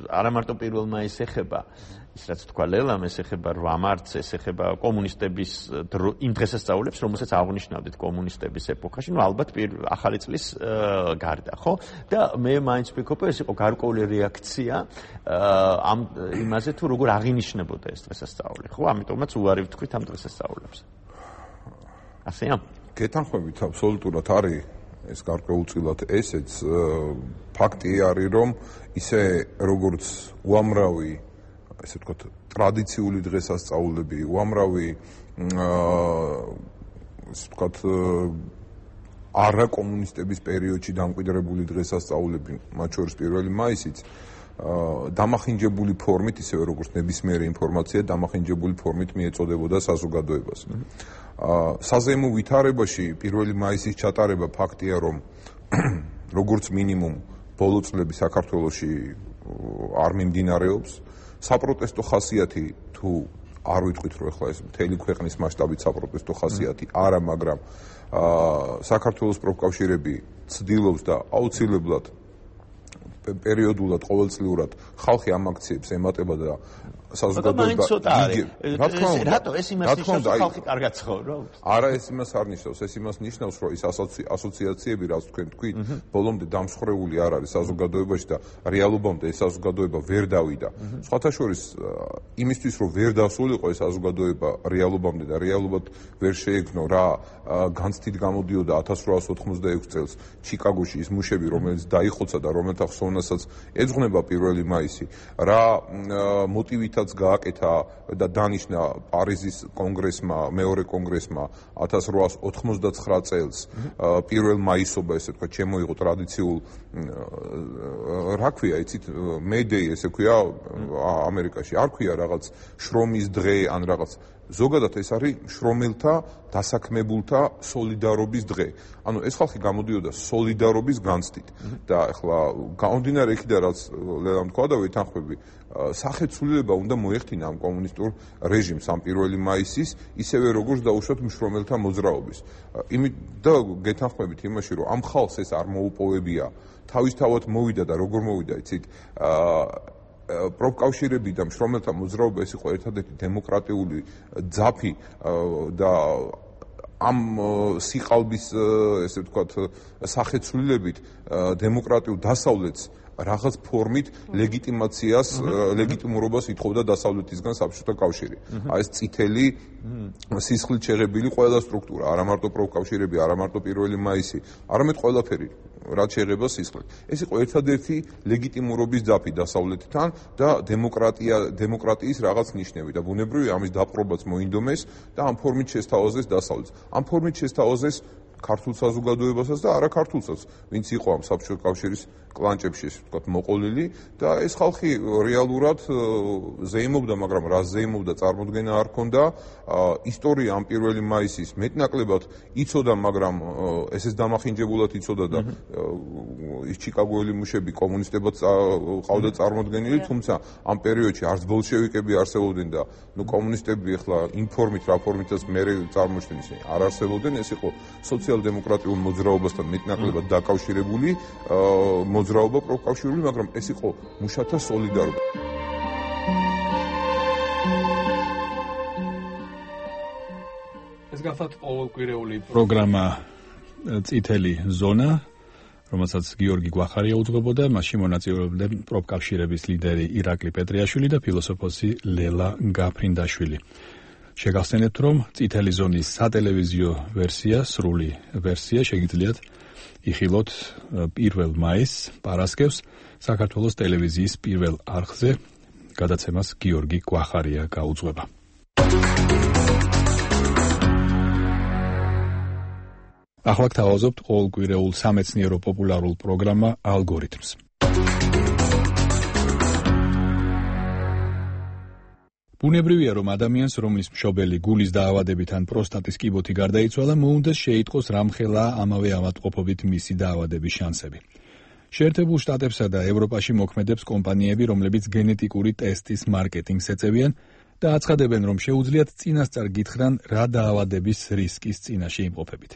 არა მარტო პირველ მაისს ეხება, ის რაც თქვა ლელამ, ეს ეხება რვა მარტს, ეს ეხება კომუნისტების იმ დღესასწაულებს, რომელსაც აღნიშნავდით კომუნისტების ეპოქაში, ну ალბათ ახალი წლის გარდა, ხო? და მე მაინც ვფიქრობ, ეს იყო გარკვეული რეაქცია ამ იმაზე, თუ როგორ აღინიშნებოდა ეს დღესასწაული, ხო? ამიტომაც უარი ვთქვით ამ დღესასწაულებს. ასეა? გეთანხმებით, აბსოლუტურად არის ეს გარკვეულწილად ესეც ფაქტი არის, რომ ისე როგორც უამრავი ესე ვთქვათ, ტრადიციული დღესასწაულები, უამრავი ესე ვთქვათ, არა კომუნისტების პერიოდში დამკვიდრებული დღესასწაულები, მათ შორის პირველი მაისიც, დამახინჯებული ფორმით, ისევე როგორც ნებისმიერი ინფორმაცია, დამახინჯებული ფორმით მიეწოდებოდა საზოგადოებას. საზეიმო ვითარებაში პირველი მაისის ჩატარება ფაქტია, რომ როგორც მინიმუმ ბოლო წლები საქართველოში არ მიმდინარეობს. საპროტესტო ხასიათი თუ არ ვიტყვით, რომ ახლა ეს მთელი ქვეყნის მასშტაბით საპროტესტო ხასიათი არა, მაგრამ საქართველოს პროფკავშირები ცდილობს და აუცილებლად პერიოდულად, ყოველწლიურად ხალხი ამ აქციებს ემატება და საზოგადოება რატო ეს იმას ნიშნავს, რომ ხალხი კარგად ცხოვრობს? არა, ეს იმას არ ნიშნავს, ეს იმას ნიშნავს, რომ ის ასოციაციები, რაც თქვენ თქვით, ბოლომდე დამსხვრეული არ არის საზოგადოებაში და რეალობამდე ეს საზოგადოება ვერ დავიდა. სხვათა შორის, იმისთვის, რომ ვერ დასულიყო ეს საზოგადოება რეალობამდე და რეალობად ვერ შეექმნო, რა განცდით გამოდიოდა ათას რვაას ოთხმოცდაექვსი წელს ჩიკაგოში ის მუშები, რომელიც დაიხოცა და რომელთა ხსოვნასაც ეძღვნება პირველი მაისი, რა მოტივითაც გააკეთა და დანიშნა პარიზის კონგრესმა, მეორე კონგრესმა ათას რვაას ოთხმოცდაცხრა წელს პირველ მაისობა, ესე ვთქვათ, შემოიღო ტრადიციულ რა ქვია, იცით, მეიდეი, ესე ქვია ამერიკაში, არ ქვია რაღაც შრომის დღე ან რაღაც. ზოგადად ეს არის შრომელთა დასაქმებულთა სოლიდარობის დღე. ანუ ეს ხალხი გამოდიოდა სოლიდარობის განცდით და ახლა გამომდინარე იქიდან, რაც ლელამ თქვა და ვითანხმები, სახეცვლილება უნდა მოეხდინა ამ კომუნისტურ რეჟიმს ამ პირველი მაისის, ისევე როგორც დაუშვათ მშრომელთა მოძრაობის. იმით და გეთანხმებით იმაში, რომ ამ ხალხს ეს არ მოუპოვებია, თავისთავად მოვიდა და როგორ მოვიდა, იცით, პროფკავშირები და მშრომელთა მოძრაობა ეს იყო ერთადერთი დემოკრატიული ძაფი და ამ სიყალბის, ესე ვთქვათ, სახეცვლილებით დემოკრატიულ დასავლეთს რაღაც ფორმით ლეგიტიმაციას, ლეგიტიმურობას ითხოვდა დასავლეთისგან საბჭოთა კავშირი. აი ეს წითელი სისხლით შეღებილი ყველა სტრუქტურა, არა მარტო პროფკავშირები, არა მარტო პირველი მაისი, არამედ ყველაფერი რაც შეღება სისხლით. ეს იყო ერთადერთი ლეგიტიმურობის ძაფი დასავლეთთან და დემოკრატია, დემოკრატიის რაღაც ნიშნები და ბუნებრივია ამის დაპყრობაც მოინდომეს და ამ ფორმით შესთავაზეს დასავლეთს. ამ ფორმით შესთავაზეს ქართულ საზოგადოებასაც და არა ქართულსაც, ვინც იყო ამ საბჭოთა კავშირის კლანჭებში, ვთქვათ, მოყოლილი და ეს ხალხი რეალურად ზეიმობდა, მაგრამ რა ზეიმობდა, წარმოდგენა არ ჰქონდა. ისტორია ამ პირველი მაისის მეტნაკლებად იცოდა, მაგრამ ესეც დამახინჯებულად იცოდა და ის ჩიკაგოელი მუშები კომუნისტებად ყავდა წარმოდგენილი, თუმცა ამ პერიოდში არც ბოლშევიკები არსებობდნენ და ნუ კომუნისტები ახლა იმ ფორმით, რა ფორმითაც მერე წარმოჩნდნენ ისინი არ არსებობდნენ, ეს იყო სოციალ-დემოკრატიულ მოძრაობასთან მეტნაკლებად დაკავშირებული მოძრაობა პროფკავშირული, მაგრამ ეს იყო მუშათა სოლიდარობა. ეს გახლავთ ყოველკვირეული პროგრამა წითელი ზონა, რომელსაც გიორგი გვახარია უძღვებოდა, მასში მონაწილეობდნენ პროფკავშირების ლიდერი ირაკლი პეტრიაშვილი და ფილოსოფოსი ლელა გაფრინდაშვილი. შეგახსენებთ, რომ წითელი ზონის სატელევიზიო ვერსია, სრული ვერსია შეგიძლიათ იხილოთ პირველ მაისს, პარასკევს, საქართველოს ტელევიზიის პირველ არხზე, გადაცემას გიორგი გვახარია გაუძღვება. ახლა გთავაზობთ ყოველკვირეულ სამეცნიერო პოპულარულ პროგრამა ალგორითმს. ბუნებრივია, რომ ადამიანს, რომლის მშობელი გულის დაავადებით ან პროსტატის კიბოთი გარდაიცვალა, მოუნდეს შეიტყოს რამხელა ამავე ავადმყოფობით მისი დაავადების შანსები. შეერთებულ შტატებსა და ევროპაში მოქმედებს კომპანიები, რომლებიც გენეტიკური ტესტის მარკეტინგს ეწევიან და აცხადებენ, რომ შეუძლიათ წინასწარ გითხრან, რა დაავადების რისკის წინაშე იმყოფებით.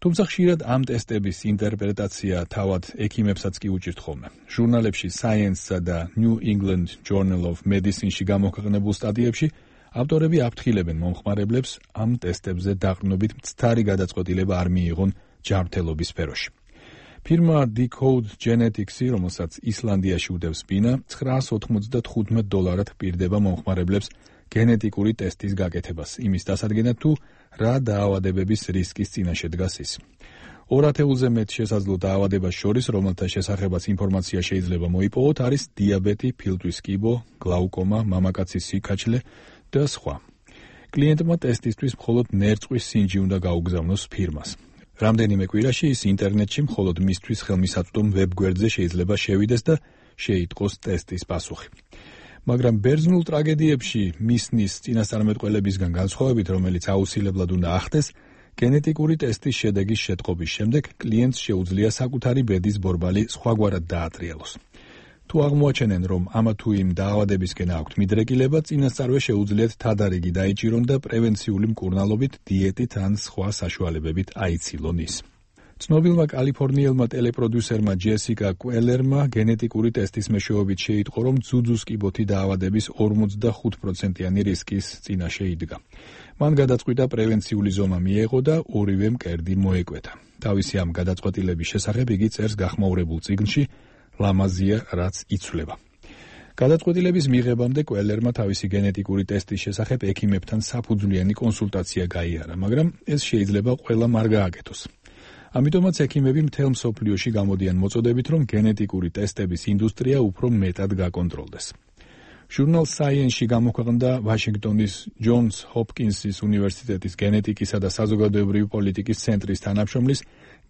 თუმცა ხშირად ამ ტესტების ინტერპრეტაცია თავად ექიმებსაც კი უჭირთ ხოლმე. ჟურნალებში Science-სა და New England Journal of Medicine-ში გამოქვეყნებულ სტატიებში ავტორები აფრთხილებენ მომხმარებლებს ამ ტესტებზე დაყრდნობით მცდარი გადაწყვეტილება არ მიიღონ ჯანმრთელობის სფეროში. ფირმა Decode Genetics-ი, რომელსაც ისლანდიაში უდევს ბინა, ცხრაას ოთხმოცდათხუთმეტ დოლარად პირდება მომხმარებლებს გენეტიკური ტესტის გაკეთებას, იმის დასადგენად თუ რა დაავადებების რისკის წინაშე დგას ის. ორ ათეულზე მეტ შესაძლო დაავადებას შორის, რომელთა შესახებაც ინფორმაცია შეიძლება მოიპოვოთ, არის დიაბეტი, ფილტვის კიბო, გლაუკომა, მამაკაცის სიკაჩლე და სხვა. კლიენტმა ტესტისთვის მხოლოდ ნერწყვის სინჯი უნდა გაუგზავნოს ფირმას. რამდენიმე კვირაში ის ინტერნეტში მხოლოდ მისთვის ხელმისაწვდომ ვებგვერდზე შეიძლება შევიდეს და შეიტყოს ტესტის პასუხი. მაგრამ ბერძნულ ტრაგედიებში მისნის წინასწარმეტყველებისგან განსხვავებით, რომელიც აუცილებლად უნდა ახდეს, გენეტიკური ტესტის შედეგის შეტყობის შემდეგ კლიენტს შეუძლია საკუთარი ბედის ბორბალი სხვაგვარად დაატრიალოს. თუ აღმოაჩენენ, რომ ამა თუ იმ დაავადებისკენ აქვთ მიდრეკილება, წინასწარვე შეუძლიათ თადარიგი დაიჭირონ და პრევენციული მკურნალობით, დიეტით ან სხვა საშუალებებით აიცილონ ის. ცნობილმა კალიფორნიელმა ტელეპროდიუსერმა ჯესიკა კუელერმა გენეტიკური ტესტის მეშვეობით შეიტყო, რომ ძუძუს კიბოთი დაავადების ორმოცდახუთ პროცენტიანი რისკის წინაშე იდგა. მან გადაწყვიტა პრევენციული ზომა მიეღო და ორივე მკერდი მოეკვეთა. თავისი ამ გადაწყვეტილების შესახებ იგი წერს გახმაურებულ წიგნში ლამაზია, რაც იცვლება. გადაწყვეტილების მიღებამდე კუელერმა თავისი გენეტიკური ტესტის შესახებ ექიმებთან საფუძვლიანი კონსულტაცია გაიარა, მაგრამ ეს შეიძლება ყველამ არ გააკეთოს. ამიტომაც ექიმები მთელ მსოფლიოში გამოდიან მოწოდებით, რომ გენეტიკური ტესტების ინდუსტრია უფრო მეტად გაკონტროლდეს. ჟურნალ Science-ში გამოქვეყნდა ვაშინგტონის ჯონს ჰოპკინსის უნივერსიტეტის გენეტიკისა და საზოგადოებრივი პოლიტიკის ცენტრის თანამშრომლის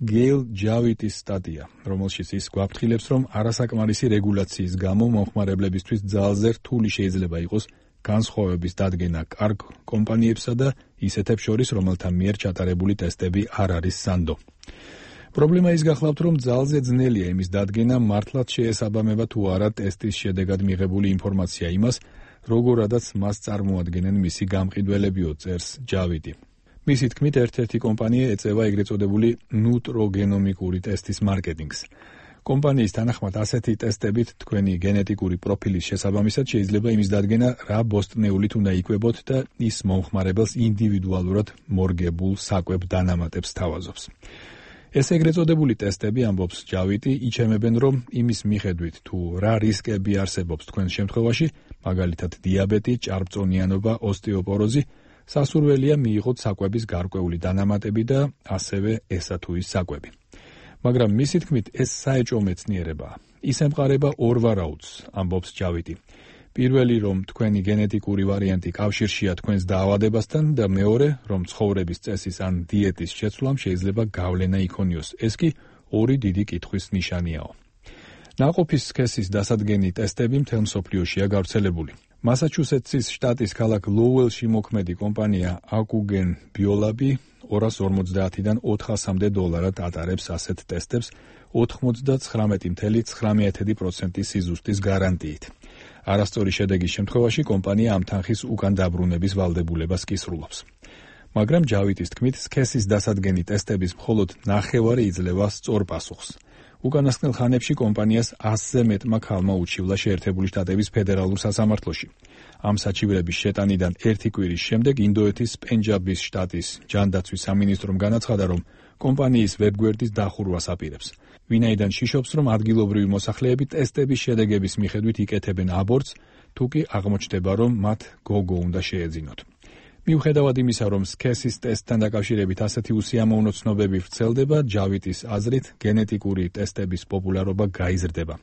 გეილ ჯავიტის სტატია, რომელშიც ის გვაფრთხილებს, რომ არასაკმარისი რეგულაციის გამო მომხმარებლებისთვის ძალზე რთული შეიძლება იყოს განსხვავების დადგენა კარგ კომპანიებსა და ისეთებს შორის, რომელთა მიერ ჩატარებული ტესტები არ არის სანდო. პრობლემა ის გახლავთ, რომ ძალზე ძნელია იმის დადგენა, მართლაც შეესაბამება თუ არა ტესტის შედეგად მიღებული ინფორმაცია იმას, როგორადაც მას წარმოადგენენ მისი გამყიდველებიო, წერს ჯავიტი. მისი თქმით, ერთ-ერთი კომპანია ეწევა ეგრეთ წოდებული ნუტროგენომიკური ტესტის მარკეტინგს. კომპანიის თანახმად ასეთი ტესტებით თქვენი გენეტიკური პროფილის შესაბამისად შეიძლება იმის დადგენა, რა ბოსტნეულით უნდა იკვებოთ და ის მომხმარებელს ინდივიდუალურად მორგებულ საკვებ დანამატებს თავაზობს. ეს ეგრეთ წოდებული ტესტები, ამბობს ჯავიტი, იჩემებენ, რომ იმის მიხედვით თუ რა რისკები არსებობს თქვენს შემთხვევაში, მაგალითად დიაბეტი, ჭარბწონიანობა, ოსტეოპოროზი, სასურველია მიიღოთ საკვების გარკვეული დანამატები და ასევე ესა თუ ის საკვები. მაგრამ მისი თქმით, ეს საეჭვო მეცნიერებაა. ის ემყარება ორ ვარაუდს, ამბობს ჯავიტი. პირველი, რომ თქვენი გენეტიკური ვარიანტი კავშირშია თქვენს დაავადებასთან და მეორე, რომ ცხოვრების წესის ან დიეტის შეცვლამ შეიძლება გავლენა იქონიოს. ეს კი ორი დიდი კითხვის ნიშანიაო. ნაყოფის სქესის დასადგენი ტესტები მთელ მსოფლიოშია გავრცელებული. მასაჩუსეტსის შტატის ქალაქ ლოუელში მოქმედი კომპანია აკუგენ ბიოლაბი ორას ორმოცდაათიდან ოთხასამდე დოლარად ატარებს ასეთ ტესტებს ოთხმოცდათხრამეტი წუთი ცხრამეტი პროცენტი სიზუსტის გარანტიით. არასწორი შედეგის შემთხვევაში კომპანია ამ თანხის უკან დაბრუნების ვალდებულებას კი სრულობს. მაგრამ ჯავიტის თქმით, სქესის დასადგენი ტესტების მხოლოდ ნახევარი იძლევა სწორ პასუხს. უკანასკნელ ხანებში კომპანიას ასზე მეტმა ქალმა უჩივლა შეერთებული შტატების ფედერალურ სასამართლოში. ამ საჩივრების შეტანიდან ერთი კვირის შემდეგ ინდოეთის პენჯაბის შტატის ჯანდაცვის სამინისტრომ განაცხადა, რომ კომპანიის ვებგვერდის დახურვას აპირებს. ვინაიდან შიშობს, რომ ადგილობრივი მოსახლეები ტესტების შედეგების მიხედვით იკეთებენ აბორტს, თუ კი აღმოჩნდება, რომ მათ გოგო უნდა შეეძინოთ. მიუხედავად იმისა, რომ სქესის ტესტთან დაკავშირებით ასეთი უსიამოვნო ცნობები ვრცელდება, ჯავიტის აზრით გენეტიკური ტესტების პოპულარობა გაიზრდება.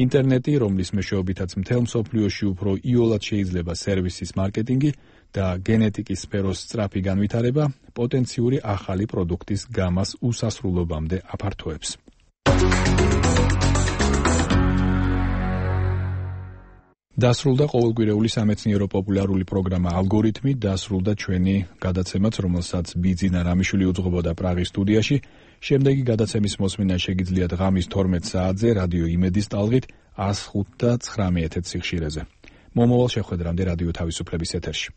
ინტერნეტი, რომლის მეშვეობითაც მთელ მსოფლიოში უფრო იოლად შეიძლება სერვისის მარკეტინგი და გენეტიკის სფეროს სწრაფი განვითარება, პოტენციური ახალი პროდუქტის გამას უსასრულობამდე აფართოებს. დასრულდა ყოველკვირეული სამეცნიერო პოპულარული პროგრამა ალგორითმი, დასრულდა ჩვენი გადაცემაც, რომელსაც ბიძინა რამიშვილი უძღვებოდა პრაღის სტუდიაში. შემდეგი გადაცემის მოსმენა შეგიძლიათ ღამის თორმეტ საათზე რადიო იმედის ტალღით ას ხუთ და ცხრამეტ სიხშირეზე. მომავალ შეხვედრამდე რადიო თავისუფლების ეთერში.